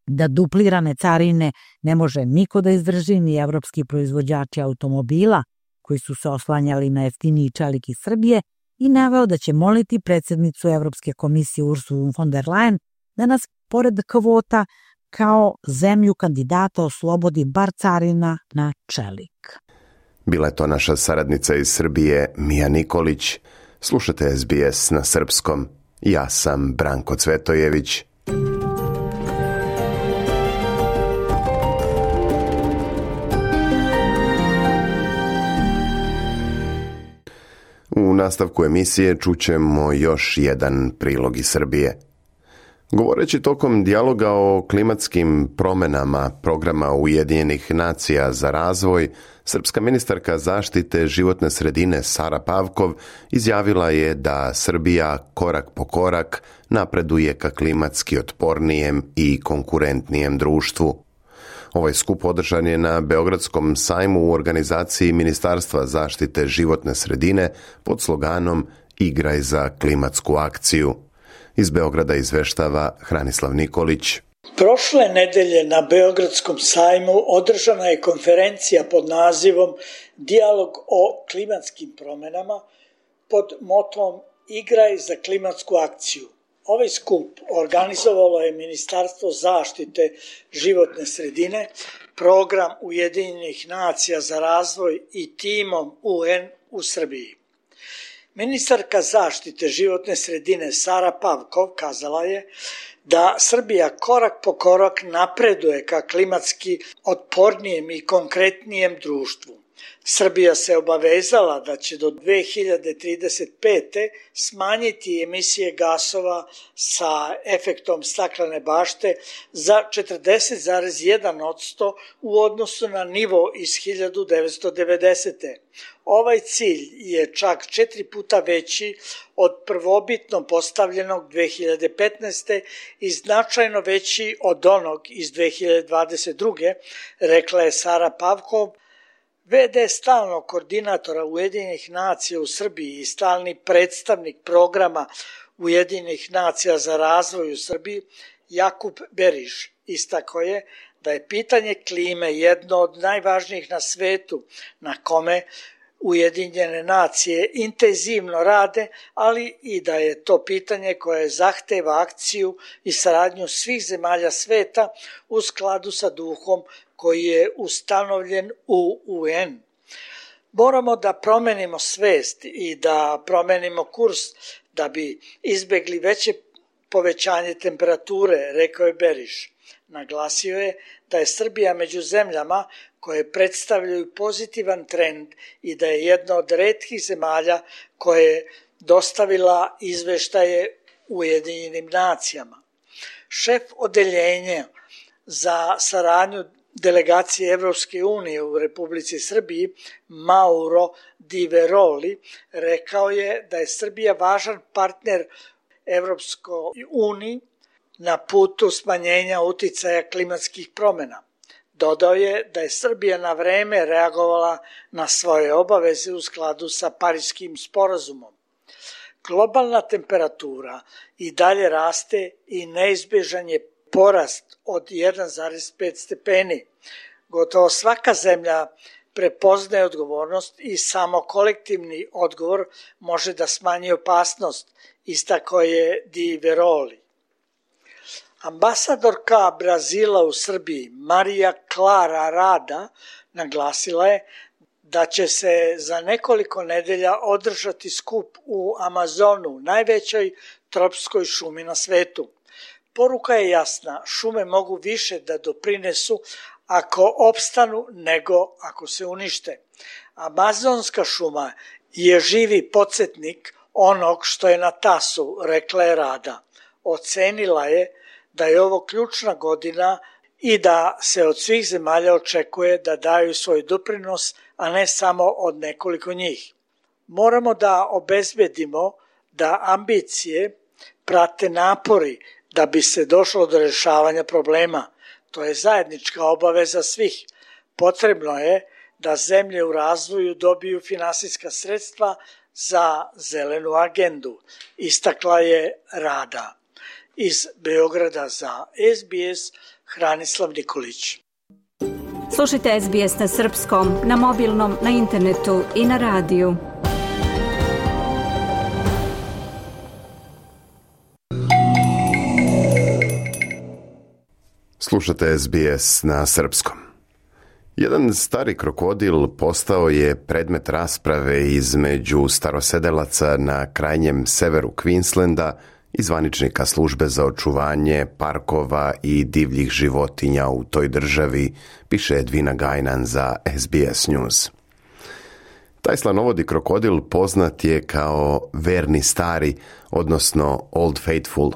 da duplirane carine ne može niko da izdrži, ni evropski proizvođači automobila koji su se oslanjali na jeftiniji čelik iz Srbije, i naveo da će moliti predsednicu Evropske komisije Ursulu von der Leyen da nas pored kvota kao zemlju kandidata oslobodi bar carina na čelik. Bila je to naša saradnica iz Srbije, Mija Nikolić. Slušate SBS na srpskom. Ja sam Branko Cvetojević. U nastavku emisije čućemo još jedan prilog iz Srbije. Govoreći tokom dijaloga o klimatskim promenama programa Ujedinjenih nacija za razvoj, srpska ministarka zaštite životne sredine Sara Pavkov izjavila je da Srbija korak po korak napreduje ka klimatski otpornijem i konkurentnijem društvu. Ovaj skup održan je na Beogradskom sajmu u organizaciji Ministarstva zaštite životne sredine pod sloganom Igraj za klimatsku akciju. Iz Beograda izveštava Hranislav Nikolić. Prošle nedelje na Beogradskom sajmu održana je konferencija pod nazivom Dijalog o klimatskim promenama pod motom Igraj za klimatsku akciju. Ovaj skup organizovalo je Ministarstvo zaštite životne sredine, Program Ujedinjenih nacija za razvoj i timom UN u Srbiji. Ministarka zaštite životne sredine Sara Pavkov kazala je da Srbija korak po korak napreduje ka klimatski otpornijem i konkretnijem društvu. Srbija se obavezala da će do 2035. smanjiti emisije gasova sa efektom staklene bašte za 40,1% u odnosu na nivo iz 1990. Ovaj cilj je čak 4 puta veći od prvobitno postavljenog 2015. i značajno veći od onog iz 2022. rekla je Sara Pavkov, VD stalnog koordinatora Ujedinjenih nacija u Srbiji i stalni predstavnik programa Ujedinjenih nacija za razvoj u Srbiji Jakub Beriš istakao je da je pitanje klime jedno od najvažnijih na svetu na kome Ujedinjene nacije intenzivno rade, ali i da je to pitanje koje zahteva akciju i saradnju svih zemalja sveta u skladu sa duhom koji je ustanovljen u UN. Moramo da promenimo svest i da promenimo kurs da bi izbegli veće povećanje temperature, rekao je Beriš. Naglasio je da je Srbija među zemljama koje predstavljaju pozitivan trend i da je jedna od retkih zemalja koje je dostavila izveštaje Ujedinjenim nacijama. Šef odeljenja za saradnju delegacije Evropske unije u Republici Srbiji Mauro Di Veroli rekao je da je Srbija važan partner Evropskoj uniji na putu smanjenja uticaja klimatskih promjena. Dodao je da je Srbija na vreme reagovala na svoje obaveze u skladu sa Pariskim sporazumom. Globalna temperatura i dalje raste i neizbježan je porast od 1,5 stepeni. Gotovo svaka zemlja prepoznaje odgovornost i samo kolektivni odgovor može da smanji opasnost, istakao je Di Veroli. Ambasadorka Brazila u Srbiji Marija Klara Rada naglasila je da će se za nekoliko nedelja održati skup u Amazonu, najvećoj tropskoj šumi na svetu. Poruka je jasna, šume mogu više da doprinesu ako opstanu nego ako se unište. Amazonska šuma je živi podsjetnik onog što je na tasu, rekla je Rada. Ocenila je da je ovo ključna godina i da se od svih zemalja očekuje da daju svoj doprinos, a ne samo od nekoliko njih. Moramo da obezbedimo da ambicije prate napori da bi se došlo do rješavanja problema. To je zajednička obaveza svih. Potrebno je da zemlje u razvoju dobiju finansijska sredstva za zelenu agendu, istakla je Rada. Iz Beograda za SBS, Hranislav Nikolić. Slušajte SBS na srpskom, na mobilnom, na internetu i na radiju. Slušate SBS na srpskom. Jedan stari krokodil postao je predmet rasprave između starosedelaca na krajnjem severu Queenslanda i zvaničnika službe za očuvanje parkova i divljih životinja u toj državi, piše Edvina Gajnan za SBS News. Taj slanovodi krokodil poznat je kao verni stari, odnosno Old Faithful.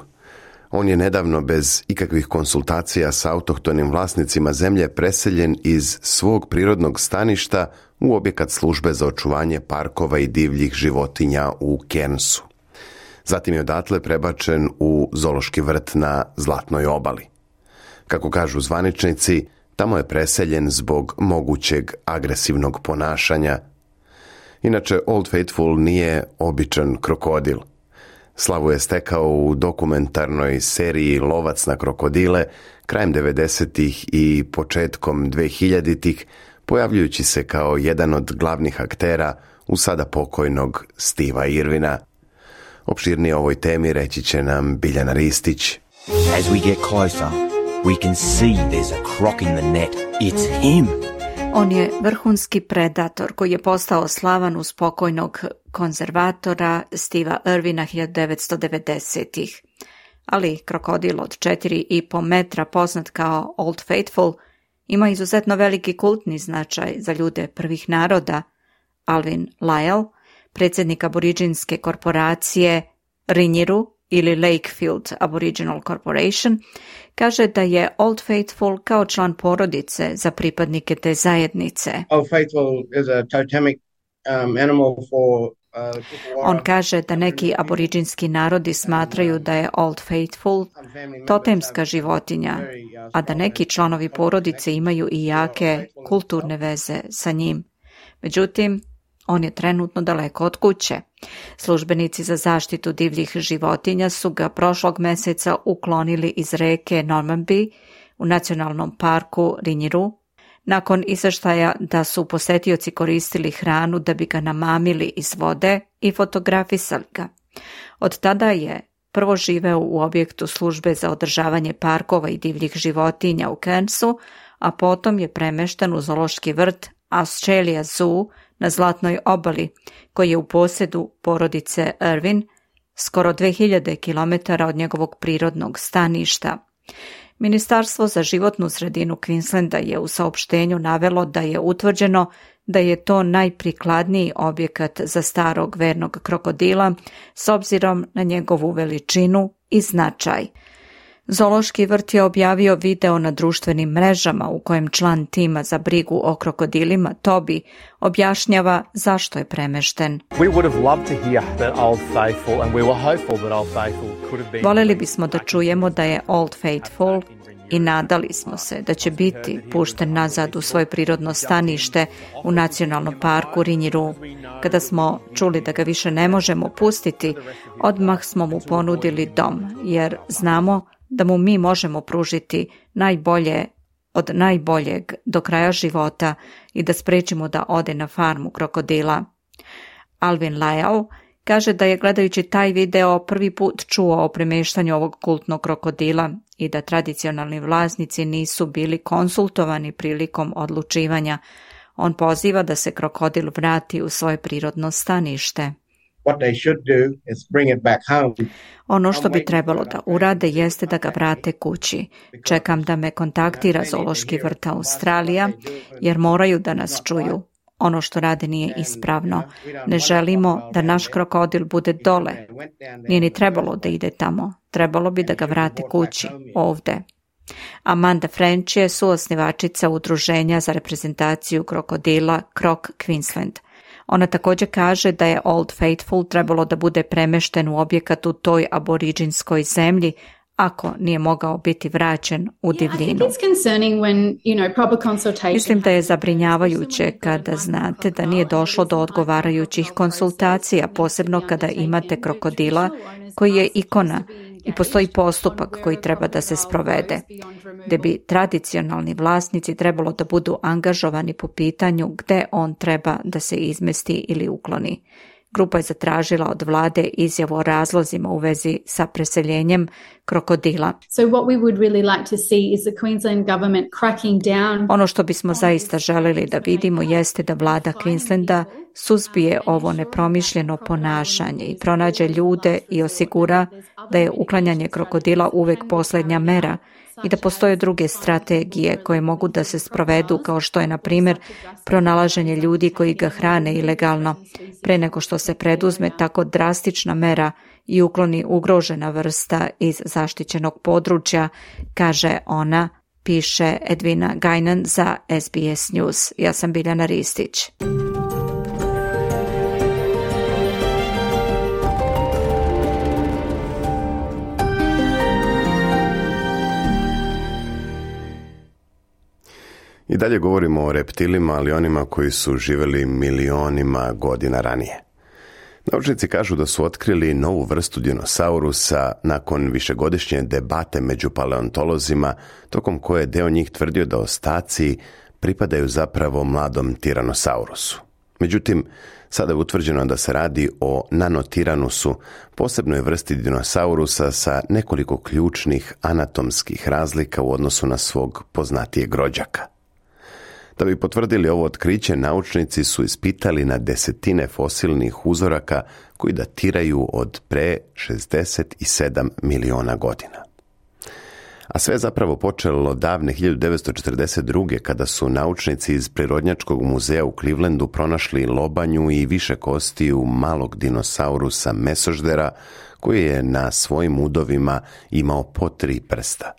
On je nedavno bez ikakvih konsultacija sa autohtonim vlasnicima zemlje preseljen iz svog prirodnog staništa u objekat službe za očuvanje parkova i divljih životinja u Cairnsu. Zatim je odatle prebačen u zoološki vrt na Zlatnoj obali. Kako kažu zvaničnici, tamo je preseljen zbog mogućeg agresivnog ponašanja. Inače, Old Faithful nije običan krokodil. Slavu je stekao u dokumentarnoj seriji Lovac na krokodile krajem 90-ih i početkom 2000-ih, pojavljujući se kao jedan od glavnih aktera u sada pokojnog Steva Irvina. Opširnije o ovoj temi reći će nam Biljana Ristić. As we get closer, we can see there's a croc in the net. It's him. On je vrhunski predator koji je postao slavan uz pokojnog konzervatora Steva Irvina 1990-ih. Ali krokodil od 4,5 metra poznat kao Old Faithful ima izuzetno veliki kultni značaj za ljude prvih naroda. Alvin Lyle, predsjednik aboriđinske korporacije Rinjiru ili Lakefield Aboriginal Corporation, kaže da je Old Faithful kao član porodice za pripadnike te zajednice. Old Faithful is a totemic animal for On kaže da neki aboriđinski narodi smatraju da je Old Faithful totemska životinja, a da neki članovi porodice imaju i jake kulturne veze sa njim. Međutim, on je trenutno daleko od kuće. Službenici za zaštitu divljih životinja su ga prošlog mjeseca uklonili iz reke Normanby u nacionalnom parku Rinjiru, nakon izvještaja da su posetioci koristili hranu da bi ga namamili iz vode i fotografisali ga. Od tada je prvo živeo u objektu službe za održavanje parkova i divljih životinja u Cairnsu, a potom je premešten u zoološki vrt Australia Zoo na Zlatnoj obali, koji je u posjedu porodice Irvin, skoro 2000 km od njegovog prirodnog staništa. Ministarstvo za životnu sredinu Queenslanda je u saopštenju navelo da je utvrđeno da je to najprikladniji objekat za starog vernog krokodila s obzirom na njegovu veličinu i značaj. Zoološki vrt je objavio video na društvenim mrežama u kojem član tima za brigu o krokodilima Toby objašnjava zašto je premešten. Voljeli bismo da čujemo da je Old Faithful i nadali smo se da će biti pušten nazad u svoje prirodno stanište u nacionalnom parku Rinjiru. Kada smo čuli da ga više ne možemo pustiti, odmah smo mu ponudili dom, jer znamo da mu mi možemo pružiti najbolje od najboljeg do kraja života i da sprečimo da ode na farmu krokodila. Alvin Lyall kaže da je gledajući taj video prvi put čuo o premještanju ovog kultnog krokodila i da tradicionalni vlasnici nisu bili konsultovani prilikom odlučivanja. On poziva da se krokodil vrati u svoje prirodno stanište. Ono što bi trebalo da urade jeste da ga vrate kući. Čekam da me kontaktira Zoološki vrt Australija, jer moraju da nas čuju. Ono što rade nije ispravno. Ne želimo da naš krokodil bude dole. Nije ni trebalo da ide tamo. Trebalo bi da ga vrate kući, ovde. Amanda French je suosnivačica udruženja za reprezentaciju krokodila Croc Queensland. Ona također kaže da je Old Faithful trebalo da bude premešten u objekat u toj aboriđinskoj zemlji ako nije mogao biti vraćen u divljinu. Mislim da je zabrinjavajuće kada znate da nije došlo do odgovarajućih konsultacija, posebno kada imate krokodila koji je ikona i postoji postupak koji treba da se sprovede, gde bi tradicionalni vlasnici trebalo da budu angažovani po pitanju gde on treba da se izmesti ili ukloni. Grupa je zatražila od vlade izjavu o razlozima u vezi sa preseljenjem krokodila. Ono što bismo zaista želeli da vidimo jeste da vlada Queenslanda suzbije ovo nepromišljeno ponašanje i pronađe ljude i osigura da je uklanjanje krokodila uvek posljednja mera i da postoje druge strategije koje mogu da se sprovedu, kao što je, na primjer, pronalaženje ljudi koji ga hrane ilegalno, pre nego što se preduzme tako drastična mera i ukloni ugrožena vrsta iz zaštićenog područja, kaže ona, piše Edvina Gajnan za SBS News. Ja sam Biljana Ristić. I dalje govorimo o reptilima, ali onima koji su živjeli milionima godina ranije. Naučnici kažu da su otkrili novu vrstu dinosaurusa nakon višegodišnje debate među paleontolozima, tokom koje je deo njih tvrdio da ostaci pripadaju zapravo mladom tiranosaurusu. Međutim, sada je utvrđeno da se radi o nanotiranusu, posebnoj vrsti dinosaurusa sa nekoliko ključnih anatomskih razlika u odnosu na svog poznatijeg rođaka. Da bi potvrdili ovo otkriće, naučnici su ispitali na desetine fosilnih uzoraka koji datiraju od pre 67 miliona godina. A sve je zapravo počelo davne 1942. kada su naučnici iz Prirodnjačkog muzeja u Clevelandu pronašli lobanju i više kostiju malog dinosaurusa mesoždera koji je na svojim udovima imao po 3 prsta.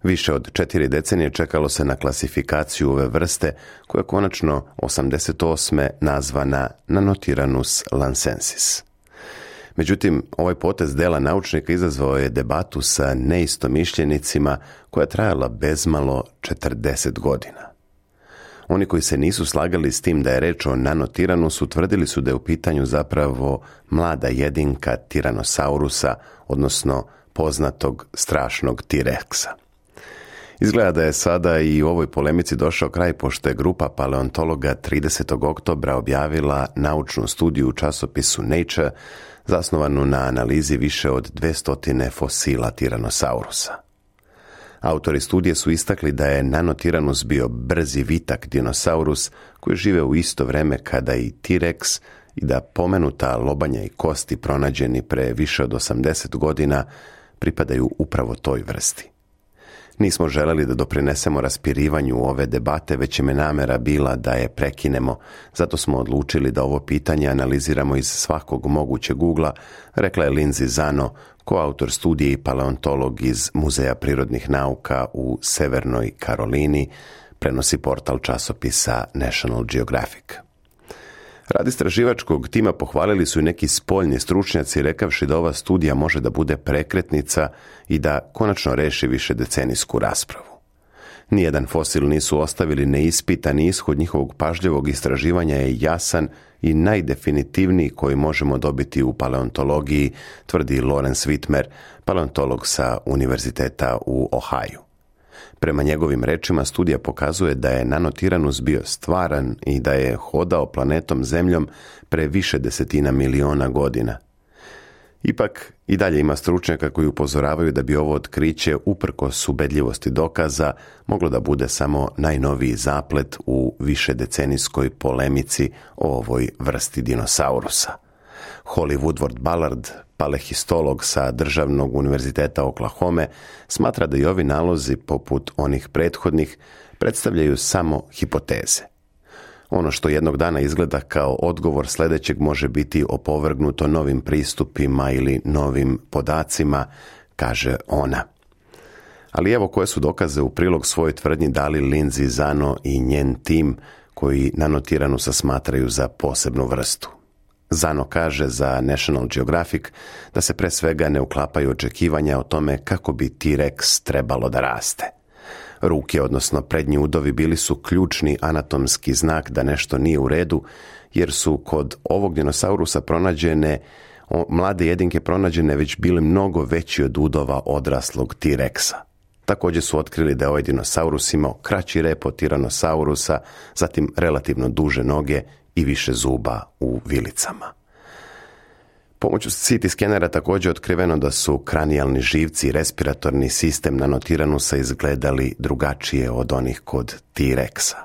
Više od 4 decenije čekalo se na klasifikaciju ove vrste, koja je konačno 88. nazvana Nanotiranus lancensis. Međutim, ovaj potez dela naučnika izazvao je debatu sa neistomišljenicima koja je trajala bezmalo 40 godina. Oni koji se nisu slagali s tim da je reč o nanotiranusu tvrdili su da je u pitanju zapravo mlada jedinka tiranosaurusa, odnosno poznatog strašnog T-Rexa. Izgleda da je sada i u ovoj polemici došao kraj, pošto je grupa paleontologa 30. oktobra objavila naučnu studiju u časopisu Nature, zasnovanu na analizi više od 200 fosila tiranosaurusa. Autori studije su istakli da je nanotiranus bio brzi vitak dinosaurus koji žive u isto vreme kada i T-Rex i da pomenuta lobanja i kosti pronađeni pre više od 80 godina pripadaju upravo toj vrsti. Nismo želeli da doprinesemo raspirivanju ove debate, već im je namera bila da je prekinemo, zato smo odlučili da ovo pitanje analiziramo iz svakog mogućeg ugla, rekla je Lindsay Zano, koautor studije i paleontolog iz Muzeja prirodnih nauka u Severnoj Karolini, prenosi portal časopisa National Geographic. Rad istraživačkog tima pohvalili su i neki spoljni stručnjaci, rekavši da ova studija može da bude prekretnica i da konačno reši višedecenijsku raspravu. Nijedan fosil nisu ostavili neispitan, ishod njihovog pažljivog istraživanja je jasan i najdefinitivniji koji možemo dobiti u paleontologiji, tvrdi Lawrence Whitmer, paleontolog sa Univerziteta u Ohaju. Prema njegovim rečima, studija pokazuje da je nanotiranus bio stvaran i da je hodao planetom Zemljom pre više desetina miliona godina. Ipak, i dalje ima stručnjaka koji upozoravaju da bi ovo otkriće, uprkos ubedljivosti dokaza, moglo da bude samo najnoviji zaplet u višedecenijskoj polemici o ovoj vrsti dinosaurusa. Holly Woodward Ballard, palehistolog sa Državnog univerziteta Oklahome, smatra da i ovi nalozi, poput onih prethodnih, predstavljaju samo hipoteze. Ono što jednog dana izgleda kao odgovor sljedećeg može biti opovrgnuto novim pristupima ili novim podacima, kaže ona. Ali evo koje su dokaze u prilog svojoj tvrdnji dali Lindsay Zano i njen tim, koji nanotiranusa smatraju za posebnu vrstu. Zano kaže za National Geographic da se pre svega ne uklapaju očekivanja o tome kako bi T-Rex trebalo da raste. Ruke, odnosno prednji udovi, bili su ključni anatomski znak da nešto nije u redu, jer su kod ovog dinosaurusa mlade jedinke pronađene već bile mnogo veći od udova odraslog T-Rexa. Također su otkrili da je ovaj dinosaurus imao kraći rep od Tyrannosaurusa, zatim relativno duže noge i više zuba u vilicama. Pomoću CT skenera također je otkriveno da su kranijalni živci i respiratorni sistem nanotiranusa izgledali drugačije od onih kod T-Rexa.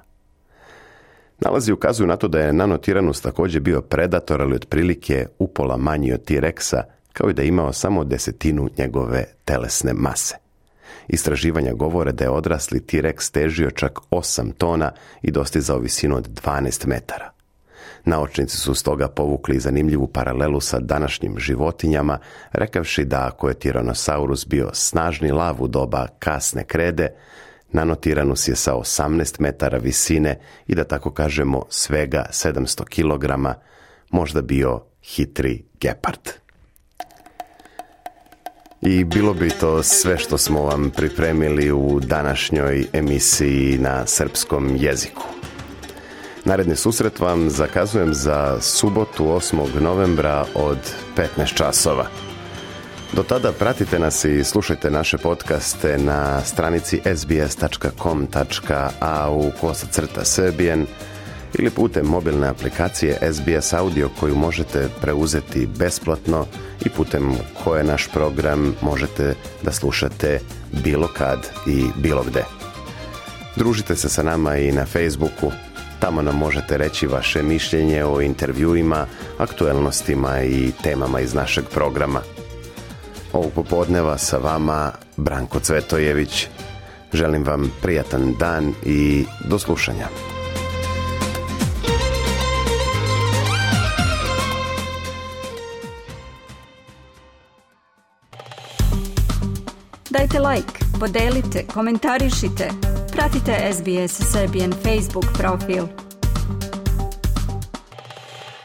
Nalazi ukazuju na to da je nanotiranus također bio predator, ali otprilike upola manji od T-Rexa, kao i da je imao samo 1/10 njegove telesne mase. Istraživanja govore da je odrasli T-Rex težio čak 8 tona i dostizao visinu od 12 metara. Naučnici su stoga povukli zanimljivu paralelu sa današnjim životinjama, rekavši da ako je Tyrannosaurus bio snažni lav u doba kasne krede, nanotiranus je sa 18 metara visine i da tako kažemo svega 700 kg, možda bio hitri gepard. I bilo bi to sve što smo vam pripremili u današnjoj emisiji na srpskom jeziku. Naredni susret vam zakazujem za subotu 8. novembra od 15 časova. Do tada pratite nas i slušajte naše podcaste na stranici sbs.com.au/Serbian ili putem mobilne aplikacije SBS Audio koju možete preuzeti besplatno i putem koje naš program možete da slušate bilo kad i bilo gde. Družite se sa nama i na Facebooku. Tamo nam možete reći vaše mišljenje o intervjuima, aktuelnostima i temama iz našeg programa. Ovog popodneva sa vama Branko Cvetojević. Želim vam prijatan dan i do slušanja. Dajte like, podelite, komentarišite. Pratite SBS Serbian Facebook profil.